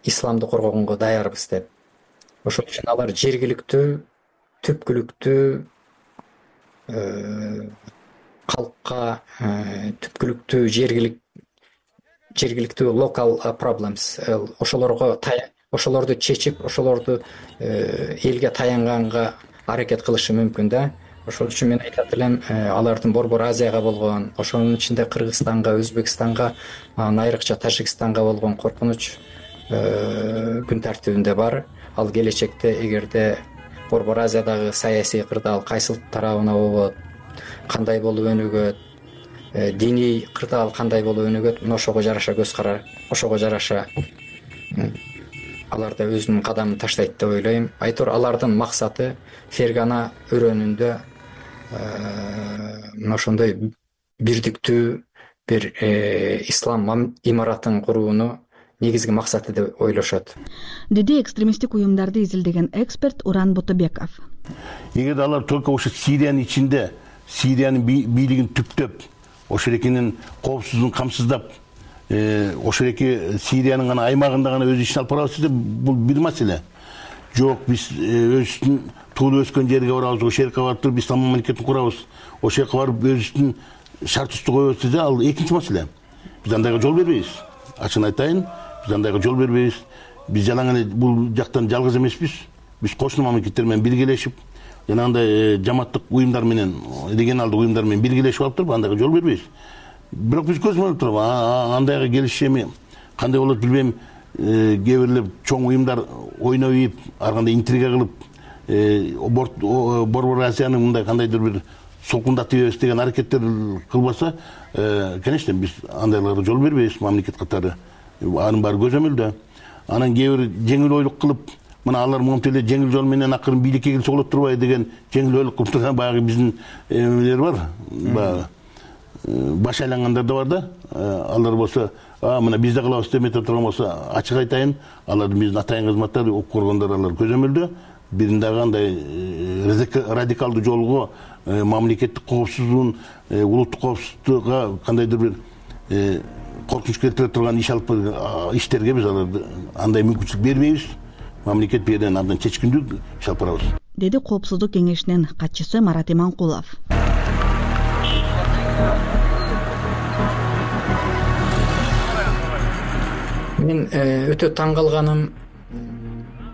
Speaker 11: исламды коргогонго даярбыз деп. Ошол үчүн алар жергиликтүү, түпкүлүктүү калкка, түпкүлүктүү жергиликтүү local problems, ошолорду чечип, ошолорду элге таянганга аракет кылышы мүмкүн да. Ошол үчүн мен айтат элем, алардын Борбор Азияга болгон, ошонун ичинде Кыргызстанга, Өзбекстанга, айрыкча Тажикстанга болгон коркунуч күн тартибинде бар. ал келечекте эгерде Борбор Азиядагы саясий кырдаал кайсыл тарабына болот, кандай болуп өнүгөт, диний кырдаал кандай болуп өнүгөт, ошого жараша көз карар, ошого жараша алар да өзүнүн кадамын таштайт деп ойлойм. Айтор алардын максаты Фергана өрөөнүндө ошондой бирдиктүү бир ислам имаратын курууну негизги максаты деп ойлошот,
Speaker 9: деди экстремисттик уюмдарды изилдеген эксперт Уран Ботобеков.
Speaker 13: Эгер алар только ошо Сириянын ичинде, Сириянын бийлигин түптөп, ошо эрекенин коопсуздугун камсыздап, ошо эреке Сириянын гана аймагында гана өз ишин алып барабыз десе, бул бир маселе. Жок, биз өзүбүздүн туулуп өскөн жерге барабыз, ошол жерге барып туруп ислам мамлекетин курабыз, ошол жерге барып өзүбүздүн шарт коебуз десе, ал экинчи маселе. Биз андайга жол бербейбиз. Ачыгын айтайын, биз андайга жол бербейбиз. Биз жалаң эле бул жактан жалгыз эмеспиз. Биз кошуна мамлекеттер менен биргелешип, жанагындай жамааттык уюмдар менен, регионалдык уюмдар менен биргелешип алып туруп, андайга жол бербейбиз. Бирок биз көз көрүп туруп, андайга келиши эми кандай болот билбейм, кээ бирлер чоң уюмдар ойноп ийип, ар кандай интрига кылып, Борбор Азияны мындай кандайдыр бир солкундатып ийбес деген аракеттер кылбаса, конечно, биз андайларга жол бербейбиз мамлекет катары. Анын баары көзөмөлдө. Анан кээ бир жеңил ойлук кылып, мына алар монтип эле жеңил жол менен акырын бийликке келсе болот турбайбы деген жеңил ойлук кылып турган баягы биздин эмелер бар. Баягы баш айлангандар да бар да. Алар болсо, мына биз да кылабыз деп этип турган болсо, ачык айтайын, алардын биздин атайын кызматтар, ок коргондор алар көзөмөлдө. Бирин дагы андай радикалдуу жолго, мамлекеттик коопсуздугун, улуттук коопсуздукка кандайдыр бир коркунуч келтире турган иш алып иштерге биз аларды андай мүмкүнчүлүк бербейбиз. Мамлекет бул жерден абдан чечкиндүү иш алып барабыз,
Speaker 9: деди Коопсуздук кеңешинин катчысы Марат Иманкулов.
Speaker 11: Мен өтө таң калганым,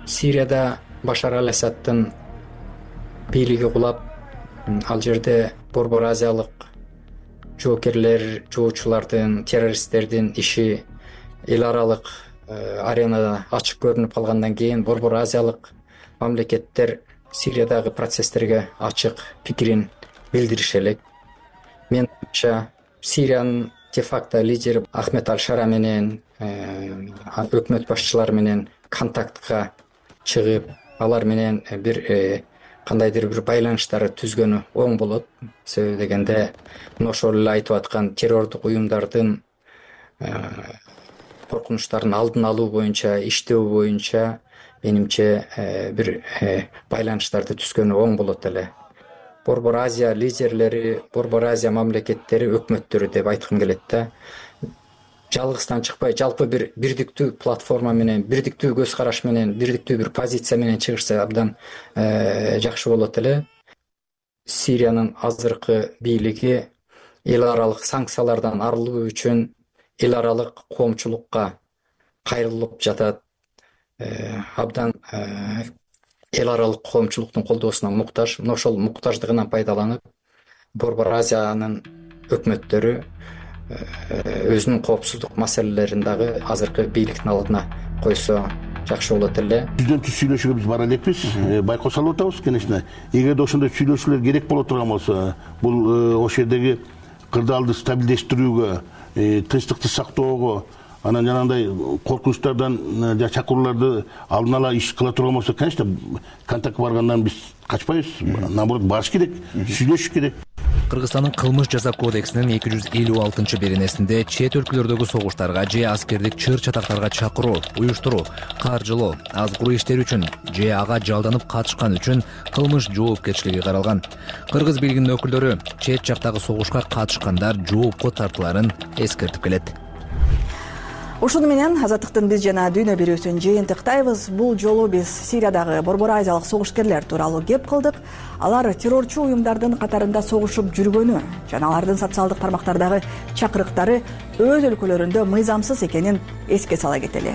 Speaker 11: Сирияда Башар ал-Асаддын бийлиги кулап, ал жерде Борбор Азиялык жоокерлер, жоочулардын, террористтердин иши эл аралык аренада ачык көрүнүп калгандан кийин Борбор Азиялык мамлекеттер Сириядагы процесстерге ачык пикирин билдириши элек. Менимче, Сириянын де-факто лидери Ахмед Аль-Шара менен өкмөт башчылары менен контактка чыгып, алар менен бир кандайдыр бир байланыштар түзгөнү оң болот. Себеби дегенде, ошол эле айтып аткан террордук уюмдардын коркунучтарын алдын алуу боюнча, иштөө боюнча менимче бир байланыштарды түзгөнү оң болот эле. Борбор Азия лидерлери, Борбор Азия мамлекеттери, өкмөттөрү деп айткым келет да. Жалгыздан чыкпай, жалпы бир бирдиктүү платформа менен, бирдиктүү көз караш менен, бирдиктүү бир позиция менен чыгышса абдан жакшы болот эле. Сириянын азыркы бийлиги эл аралык санкциялардан арылуу үчүн эл аралык коомчулукка кайрылып жатат. Абдан эл аралык коомчулуктун колдоосуна муктаж. Ошол муктаждыгынан пайдаланып, Борбор Азиянын өкмөттөрү өзүнүн коопсуздук маселелерин дагы азыркы бийликтин алдына койсо жакшы болот эле.
Speaker 13: Бизден түз сүйлөшүүгө биз бара элекпиз, байкоо салып атабыз, конечно. Эгерде ошондой сүйлөшүүлөр керек боло турган болсо, бул ошол жердеги кырдаалды стабилдештирүүгө, тынчтыкты сактоого, анан жанагындай коркунучтардан чакырууларды алдын ала иш кыла турган болсо, конечно, контактка баргандан биз качпайбыз. Наоборот, барыш керек, сүйлөшүш керек.
Speaker 22: Кыргызстандын кылмыш жаза кодексинин 256-беренесинде чет өлкөлөрдөгү согуштарга же аскердик чыр чатактарга чакыруу, уюштуруу, каржылоо, азгыруу иштери үчүн же ага жалданып катышкан үчүн кылмыш жоопкерчилиги каралган. Кыргыз бийлигинин өкүлдөрү чет жактагы согушка катышкандар жоопко тартыларын эскертип келет.
Speaker 9: Ушуну менен Азаттыктын биз жана дүйнө берүүсүн жыйынтыктайбыз. Бул жолу биз Сириядагы Борбор Азиялык согушкерлер тууралуу кеп кылдык. Алар террорчу уюмдардын катарында согушуп жүргөнү жана алардын социалдык тармактардагы чакырыктары өз өлкөлөрүндө мыйзамсыз экенин эске сала кетели.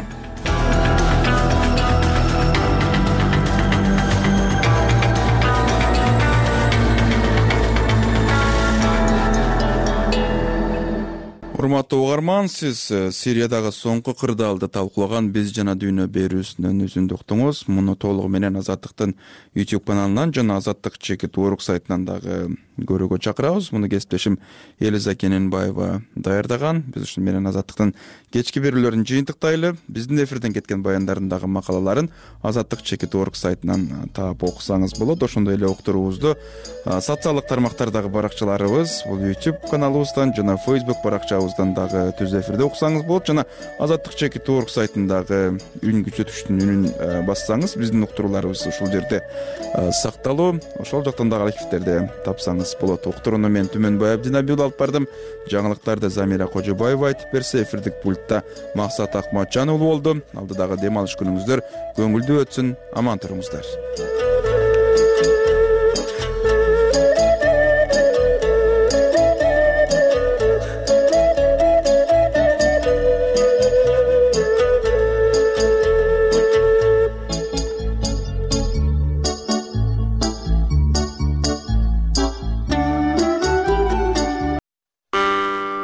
Speaker 2: Урматтуу угарман, сиз Сириядагы соңку кырдаалды талкуулаган Биз жана дүйнө берүүсүнөн үзүндү уктуңуз. Муну толугу менен Азаттыктын YouTube каналынан жана Азаттык чекит орг сайтынан дагы көрүүгө чакырабыз. Муну кесиптешим Элиза Кененбаева даярдаган. Биз ушун менен Азаттыктын кечки берүүлөрүн жыйынтыктайлы. Биздин эфирден кеткен баяндардын дагы макалаларын Азаттык чекит орг сайтынан таап окусаңыз болот. Ошондой эле уктуруубузду социалдык тармактардагы баракчаларыбыз, бул YouTube каналыбыздан жана Facebook баракчабыздан дагы түз эфирде окусаңыз болот. Жана Азаттык чекит орг сайтындагы үн күчөтүштүн үнүн бассаңыз биздин уктурууларыбыз ушул жерде сакталуу. Ошол жактан дагы архивтерде тапсаңыз болот. Уктурууну мен Түмөнбай Абдинабил алып бардым. Жаңылыктарды Замира Кожобаева айтып берсе, эфирдик пультта Максат Акматжан уулу болду. Алдыдагы дем алыш күнүңүздөр көңүлдүү өтсүн. Аман туруңуздар.